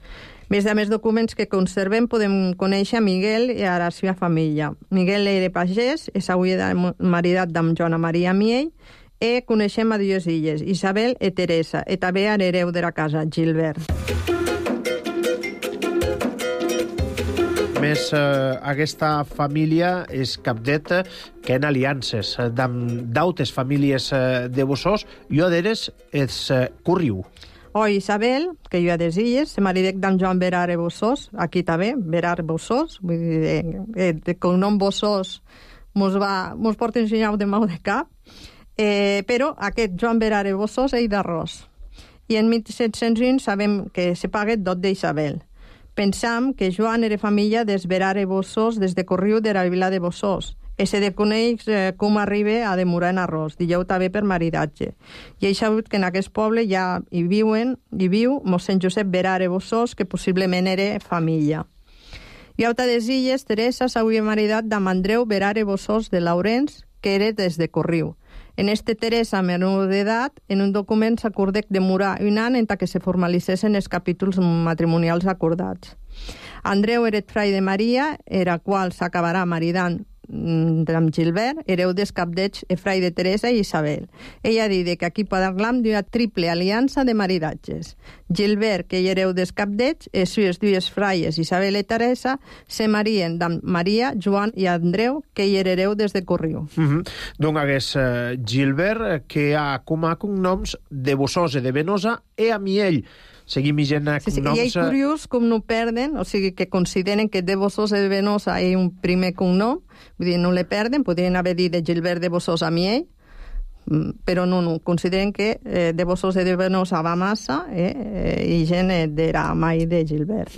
Més de més documents que conservem podem conèixer Miguel i a la seva família. Miguel era pagès, s'havia maridat amb Joana Maria Miell, i coneixem a dues illes, Isabel i Teresa, i també a l'hereu de la casa, Gilbert. Més aquesta família és Capdet que en aliances d'altres famílies de Bossós i a d'eres és Curriu. Isabel, que jo a des illes, se maridec d'en Joan Berare Bossós, aquí també, Berare Bossós, vull dir, de cognom Bossós mos porta un senyal de mau de cap, però aquest Joan Berare Bossós és d'Arròs. I en 1701 sabem que se paga dot d'Isabel. Pensam que Joan era família des Berare Bossós des de Corriu de la vila de Bossós. I se coneix com arriba a demorar en Arròs, digueu també per maridatge. I he sabut que en aquest poble ja hi viu mossèn Josep Berare Bossós, que possiblement era família. I a des illes, Teresa s'havia maridat amb Andreu Berare Bossós de Laurens, que era des de Corriu. En Teresa, menor d'edat, en un document s'acordec demorar un any en que se formalitzessin els capítols matrimonials acordats. Andreu era frai de Maria, era qual s'acabarà maridant amb Gilbert, hereu dels Capdets, frai de Teresa i Isabel. Ella ha dit que aquí parlam d'una triple aliança de maridatges. Gilbert, que hi hereu dels Capdets, i les dues fraies, Isabel i Teresa, se marien d'en Maria, Joan i Andreu, que hi hereu des de Corriu. Donc hagués Gilbert, que ha com a cognoms de Bossós i de Venosa, i a Miell. Seguim gent cognoms... I és curiós com no perden, o sigui, que consideren que de Bossós i de Venosa és un primer cognom, vull dir, no le perden, podrien haver dit de Gilbert de Bossós a Miell, però no, consideren que de Bossós i de Venosa va massa i gent d'era mai de Gilbert.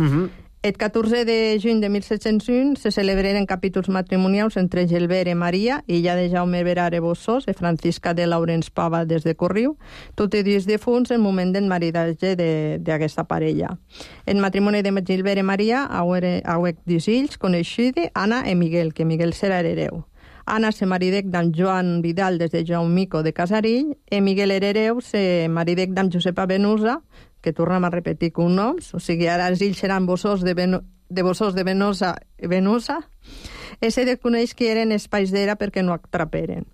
El 14 de juny de 1701 se celebraren capítols matrimonials entre Gelbert i Maria, illa de Jaume Verare Bossós i Francisca de Laurens Pava des de Corriu, tot i dies defunts en moment del maridatge d'aquesta parella. El matrimoni de Gelbert i Maria auec dos fills coneixidi, Anna i Miguel, que Miguel serà hereu. Anna se maridec d'en Joan Vidal des de Jaumico de Casarill i Miguel hereu se maridec d'en Josepa Venusa, que tornem a repetir cognoms, o sigui, ara els ills seran Bossós de Venosa i Venusa, i se desconeix que eren espais d'era perquè no atraperen.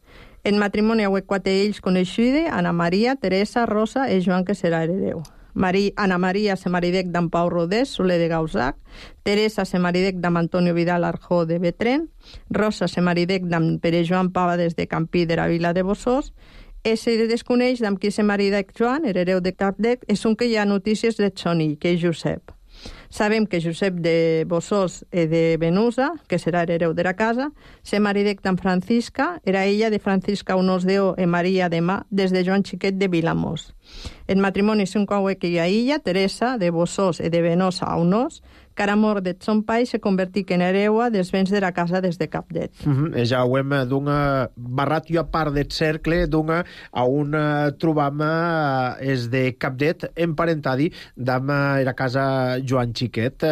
En matrimoni hauec 4 ills coneixidi, Anna Maria, Teresa, Rosa i Joan, que serà hereu. Anna Maria se maridec d'en Pau Rodés, Soler de Gausac, Teresa se maridec d'en Antonio Vidal Arjó de Betren, Rosa se maridec d'en Pere Joan Pava des de Campí de la Vila de Bossós, se desconeix d'amb qui se maridec Joan, hereu de Capdet, és un que hi ha notícies de Sonill, que és Josep. Sabem que Josep de Bossós i de Venusa, que serà hereu de la casa, se maridec d'en Francisca, era ella de Francisca Unós d'O i Maria de Mà, des de Joan Xiquet de Vilamós. El matrimoni s'inclou que hi ha illa, Teresa, de Bossós i de Venosa a Unós, que ara mort de son pai se convertic en hereua dels béns de la casa des de Capdet. Ja ho hem barrat jo a part del cercle a on trobam és de Capdet emparentadi d'am la casa Joan Xiquet.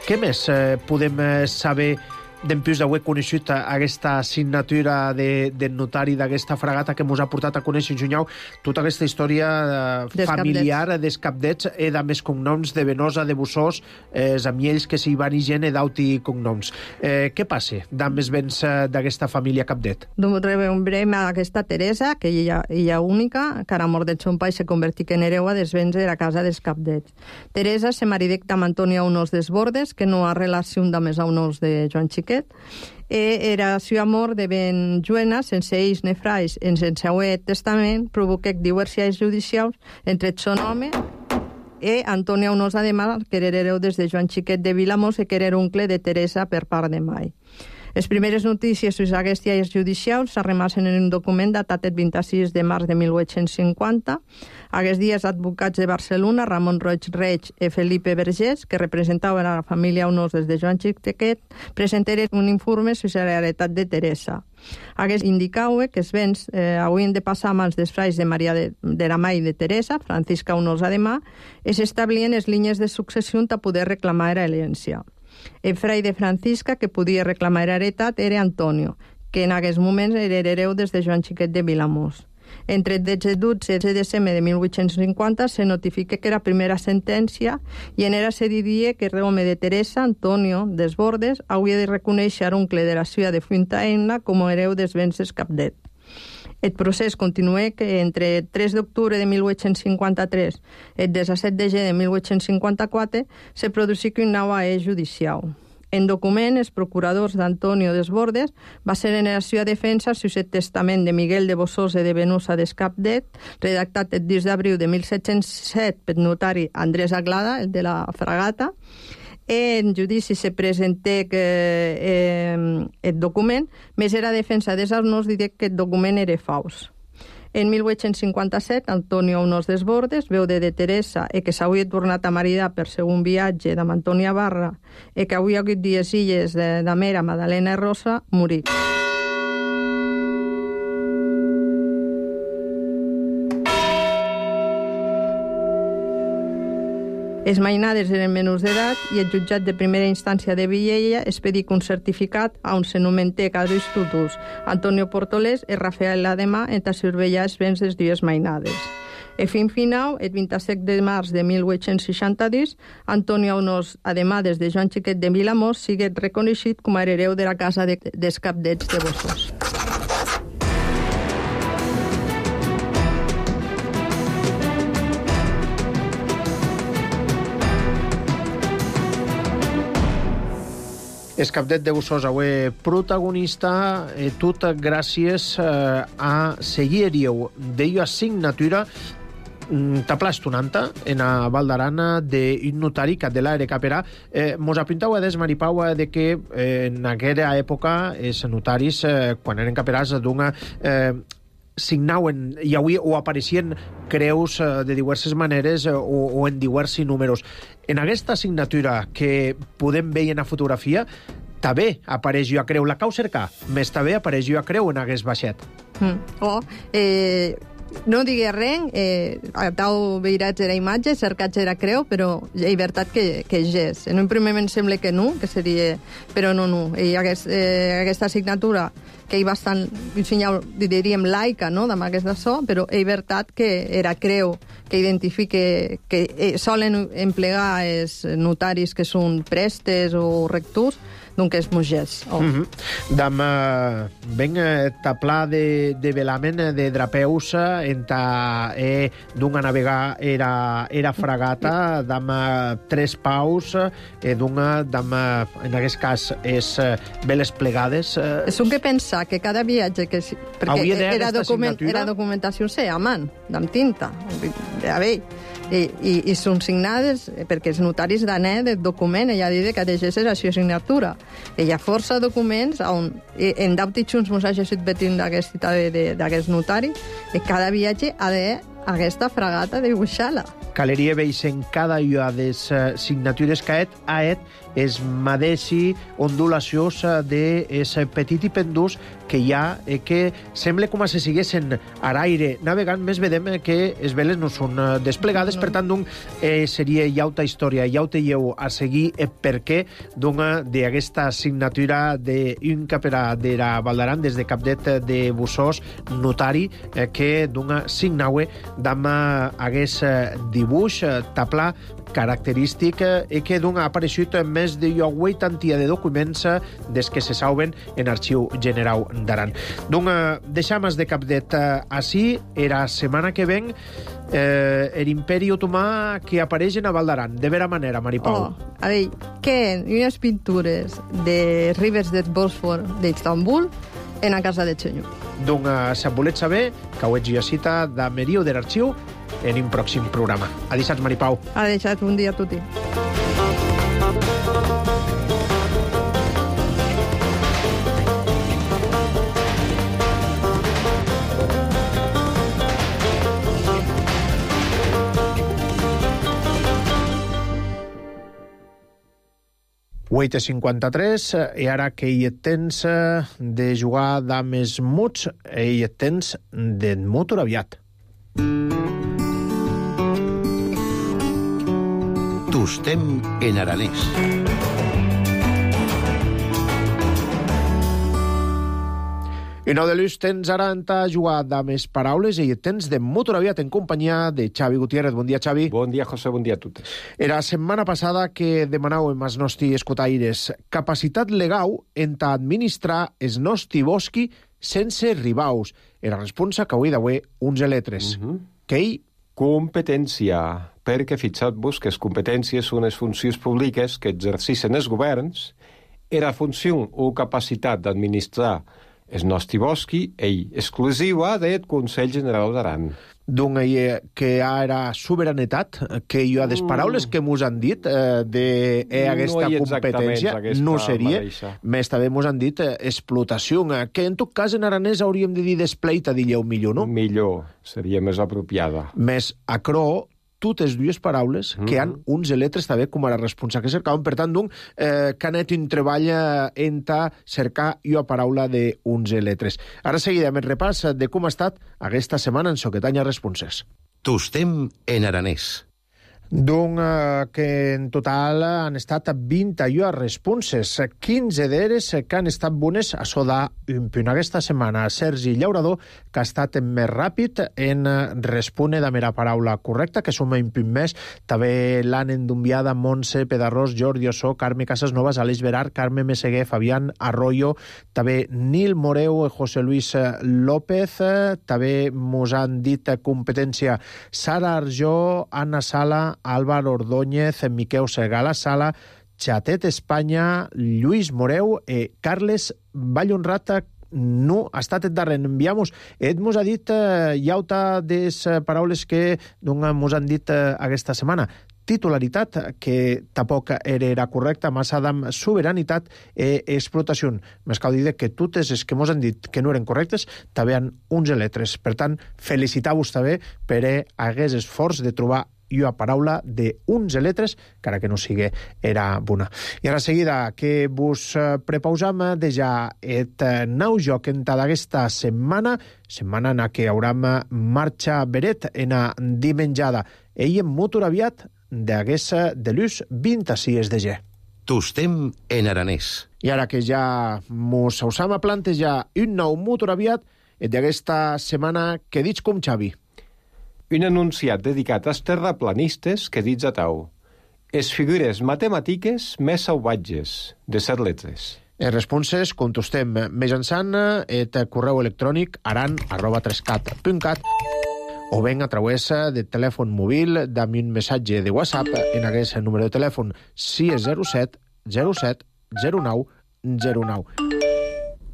Què més podem saber dempués d'haver coneixut aquesta signatura del notari d'aquesta fragata que mos ha portat a conèixer, Junyau, tota aquesta història familiar dels Capdets i de més cognoms de Venosa, de Bossós, els amiells que s'hi van i gent d'auti cognoms. Què passa amb els béns d'aquesta família Capdet? Rebrem a aquesta Teresa, que ella única, que ara mort de son pai se convertic en hereua dels béns de la casa dels Capdets. Teresa se maridec amb Antonia Unós Desbordes, que no ha relació amb més a Unós de Joan Xiquet, era su amor de ben Juena, sense ells ne frais, en sense haver testament, provoquec divorciats judicials entre son home i Antonia Unós Ademar, que era hereu des de Joan Xiquet de Vilamós i que era oncle de Teresa per part de mai. Les primeres notícies sobre aquests lleis judicials s'arremassen en un document datat el 26 de març de 1850. Aquests dies, advocats de Barcelona, Ramon Roig Reig i Felipe Vergés, que representaven a la família Unós des de Joan Xiquet, presentaren un informe sobre la heretat de Teresa. Aquests indicaven que els béns haurien de passar a mans dels frais de Maria de la Mai de Teresa, Francisca Unós Ademà, i s'establien les línies de successió a poder reclamar l'herència. El frai de Francisca que podia reclamar heretat era Antonio, que en aquests moments era hereu des de Joan Xiquet de Vilamós. Entre el 12 de desembre de 1850 se notifica que era primera sentència i en era se diria que el home de Teresa, Antonio Desbordes, hauria de reconèixer oncle de la ciutat de Fuentaina com a hereu dels béns dels Capdet. El procés continua que entre el 3 d'octubre de 1853 i el 17 de gener de 1854 se produïsca un nou acte judicial. En document, els procuradors d'Antonio Desbordes va ser en la seva defensa sobre el testament de Miguel de Bossós i de Venusa d'Escapdet, redactat el 10 d'abril de 1707 pel notari Andrés Aglada, el de la fragata. En judici se presenté el document, més era defensa dels Unós dir que el document era fals. En 1857, Antonio Unós Desbordes, veu de Teresa i que s'havia tornat a maridar per segon viatge d'amb Antònia Barra i que havia hagut 10 filles de Mera, Madalena i Rosa, morí. Els mainades eren menors d'edat i el jutjat de primera instància de Viella expedic un certificat on se nomenté a dos tutors, Antonio Portolés i Rafael Ademà, en surveillar els béns dels dues mainades. E fin final, el 27 de març de 1862, Antonio Unós Ademà des de Joan Xiquet de Vilamós sigue reconeixit com a hereu de la casa dels Capdets de Bossós. El Capdet de Bossós avui protagonista, tot gràcies a seguir-ho d'ella signatura taplastunanta en a Val d'Aran d'un notari que de l'era caperà. Mos apuntau a des, Maripau, de que en aquella època els notaris, quan eren caperats, signauen i avui o apareixien creus de diverses maneres o en diversos números. En aquesta signatura que podem veure en la fotografia, també apareix jo a creu la cau cercar, més també apareix jo a creu en aquest baixet. No digué res, tau veirats era imatge, cercats era creu, però és veritat que és. En un primer moment sembla que no, que seria... Però no. I aquesta signatura, que hi bastant, diríem, laica, no?, amb aquesta so, però és veritat que era creu, que identifica, que solen emplegar els notaris que són prestes o rectors, doncs és mogès. Dam ben taplà de velamen de drapeus enta dunga navegar era fragata dam 3 paus dunga dam en aquest cas és veles plegades. És un que pensar que cada viatge que perquè era documentació a man, amb tinta, a veure, i són signades perquè els notaris d'anet el document, ella diu que deixés la seva signatura. Hi ha força documents on en d'autitxuns mos ha llegit betint d'aquest notari i cada viatge ha d'aquesta fragata de dibuixar-la. Caleria veig en cada una de les signatures que ha és madeixi ondulacions d'es petit i pendús que hi ha, que sembla com si siguessin a l'aire navegant, més vedem que les veles no són desplegades, per tant, seria llauta història, llauta lleu a seguir per què d'aquesta signatura d'un caperà de la Valdaran, des de Capdet de Bussós, notari, que signaue d'am hagués dibuix, taplà, característic i que ha aparegut més de 80 de documents des que se saben en Arxiu General d'Aran. Deixam de Capdet així, era setmana que ven l'imperi otomà que apareix en a Val d'Aran. De vera manera, Maripau. A veure, que unes pintures de ribes del Bòsfor d'Istanbul en a casa de Xenyo. Si voleu saber, que ho ets cita de Meriu de l'Arxiu en un pròxim programa. Adéixats, Maripau. Adéixats, bon dia a tutti. Huit 53, i ara que hi et tens de jugar dames muts, hi et tens d'en motor aviat. Tostem en aranès. I no de l'ús tens ara a jugar de més paraules i tens de motor aviat en companyia de Xavi Gutiérrez. Bon dia, Xavi. Bon dia, José, bon dia a totes. Era setmana passada que demanàvem als nostres escotaires capacitat legal en administrar els nostres bosqui sense ribaus. Era responsa que avui d'avui uns letres. Que competència, perquè fixat-vos que les competències són les funcions públiques que exerceixen els governs, era funció o capacitat d'administrar el nostre bosqui és exclusiva del Consell General d'Aran. Que era sobiranitat, que hi ha des paraules que mos han dit d'aquesta competència, no seria, més també mos han dit explotació, que en tot cas en aranès hauríem de dir despleita, dilleu millor, no? Millor, seria més apropiada. Més acro, totes dues paraules que han uns letres també com a la responsa que cercaven. Per tant, que anet un treball en cercar una paraula d'uns letres. Ara seguirem el repàs de com ha estat aquesta setmana en Soquetanya Responses. Tostem en aranès. Que en total han estat 21 responses, 15 d'elles que han estat bones a soda un punt. Aquesta setmana Sergi Llaurador, que ha estat més ràpid en respondre de mera paraula correcta, que som un punt més. També l'han endumbiada Montse Pedarrós, Jordi Ossó, Carme Casasnovas, Aleix Verar, Carme Meseguer, Fabián Arroyo, també Nil Moreu, José Luis López, també mos han dit competència Sara Arjó, Anna Sala, Álvaro Ordóñez, Miquel Segala Sala, Xatet Espanya, Lluís Moreu, Carles Vallhonrat, no ha estat el darrer. Enviamos. Mos ha dit llauta des paraules que mos han dit aquesta setmana. titularitat, que tampoc era correcta, massa amb soberanitat i explotació. Més cal dir que totes les que mos han dit que no eren correctes també han uns letres. Per tant, felicitar-vos també per aquest esforç de trobar una paraula d'uns letres, encara que no sigui era bona. I ara seguida que vos prepausam de ja et nou joc en d'aquesta setmana en què hauram marxa beret en a dimenjada. Ell en motor aviat d'aquesta de l'ús 26 de G. Tostem en aranès. I ara que ja mos hausam a plantejar un nou motor aviat d'aquesta setmana que dits com Xavi. Un enunciat dedicat als terraplanistes que dits a tau. Es figures matemàtiques més salvatges, de 7 letres. Les responses contestem mitjançant el correu electrònic aran@3cat.cat o ben a través de telèfon mòbil amb un missatge de WhatsApp en aquest número de telèfon 607 07 09 09.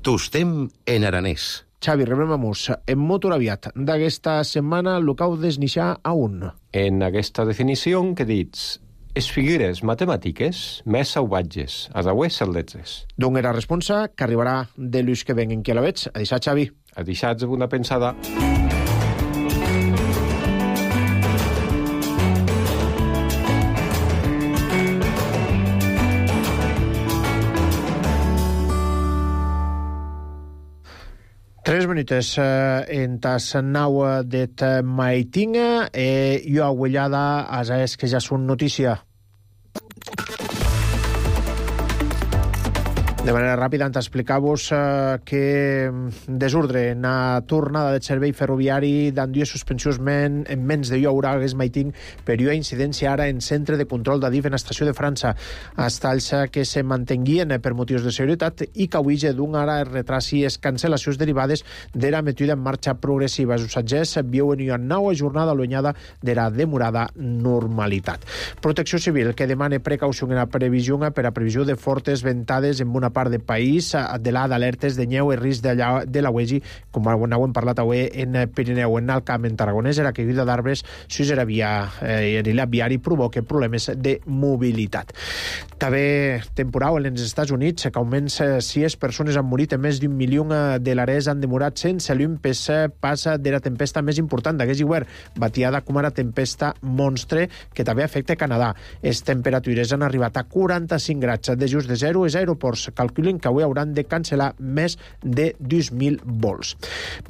Tostem en aranès. Xavi, rebrem-nos en motor aviat d'aquesta setmana el cau desnixar a un. En aquesta definició que dits es figures matemàtiques més salvatges, a deues 7 letres. D'on era responsa que arribarà de l'ús que ven en qui la veig. A deixar, Xavi. A deixar una pensada. Tres minutos en tas nau det maitinga jo aguellada a es que ja són notícia. De manera ràpida, explicar-vos que desordre en la tornada de servei ferroviari d'en dues suspensions en menys de jo haurà hagués maiting per una incidència ara en centre de control d'Adif en estació de França. Estalls que se mantenguien per motius de seguretat i que avui d'un ara retraci es cancel·lacions derivades de la metida en marxa progressiva. Els usatgers viuen una nova jornada allunyada de la demorada normalitat. Protecció Civil que demana precaució en la previsió per a previsió de fortes ventades en una part del país de la d'alertes de neu i risc de la UEGI, com hem parlat avui en Pirineu, en el Camp, en Tarragonès, la caiguda d'arbres sus la via viari provoca problemes de mobilitat. També temporal en els Estats Units, que almenys 6 persones han morit, més d'1 milió de l'Ares han demorat sense llum passa de la tempesta més important d'aquest hivern, batiada com ara tempesta monstre, que també afecta Canadà. Les temperatures han arribat a 45 graus de just de 0 als aeroports. Calculen que avui hauran de cancel·lar més de 2.000 vols.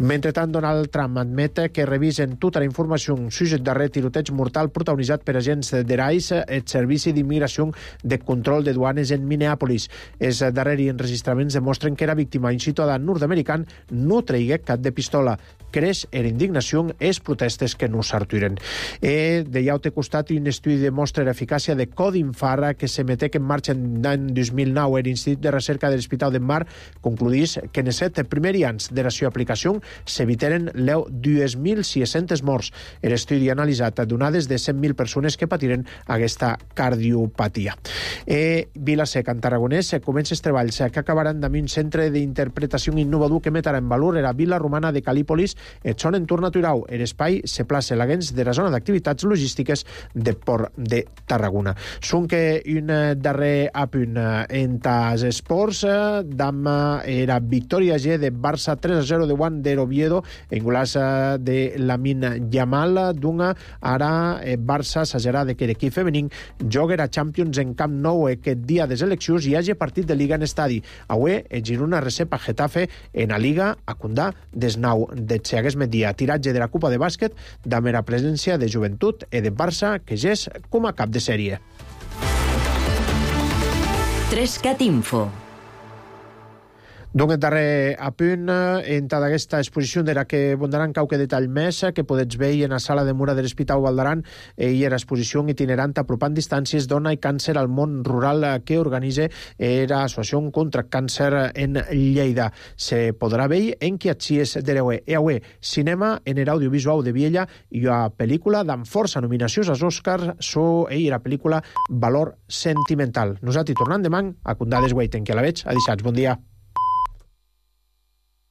Mentrestant, Donald Trump admet que revisen tota la informació sobre el darrer tiroteig mortal protagonitzat per agents de l'ICE, el Servici d'Immigració de Control de Duanes en Minneapolis. Els darrers enregistraments demostren que era víctima un ciutadà nord-americà no traigué cap de pistola. Creix en indignació els protestes que no s'arturen. De llaute costat, un estudi demostra l'eficàcia de codi infart que se metec en marxa l'any 2009 l'Institut de Recerca de l'Hospital de Mar concluís que en els 7 primers anys de la seva aplicació s'evitaren 2.600 morts. L'estudi ha analitzat donades de 100.000 persones que patiren aquesta cardiopatia. Vila-seca, en Tarragonès, comença els treballs que acabaran amb un centre d'interpretació innovador que metrà en valor la vila romana de Calípolis, el son entorn natural. L'espai se plaça l'agens de la zona d'activitats logístiques de Port de Tarragona. Són que un darrer apunt en tas esports, d'ama era victòria G de Barça 3-0 de Juan de Oviedo en golàs de Lamine Yamal. D'una ara Barça s'agerà de que l'equip femení joga a Champions en Camp Nou aquest dia de seleccions i hagi partit de Liga en estadi. Avui el Girona recepa Getafe en la Liga a Condà desnau de Xeagues Media. Tiratge de la Copa de Bàsquet de mera presència de Joventut i de Barça que ja és com a cap de sèrie. 3cat Info. Donc, el darrer apunt en tota aquesta exposició de la que bondaran qualque detall més que podets veure en la sala de Mura de l'Hospital Valdaran i era exposició itinerant apropant distàncies dona i càncer al món rural que organitza l'Associació contra Càncer en Lleida. Se podrà veure en Quiatxies de l'Eue. I avui, cinema en l'audiovisual de Viella i una pel·lícula amb força nominacions als Oscars i la pel·lícula Valor Sentimental. Nosaltres tornem demà a Condades Weiten, que a la veig. A dissabte. Bon dia.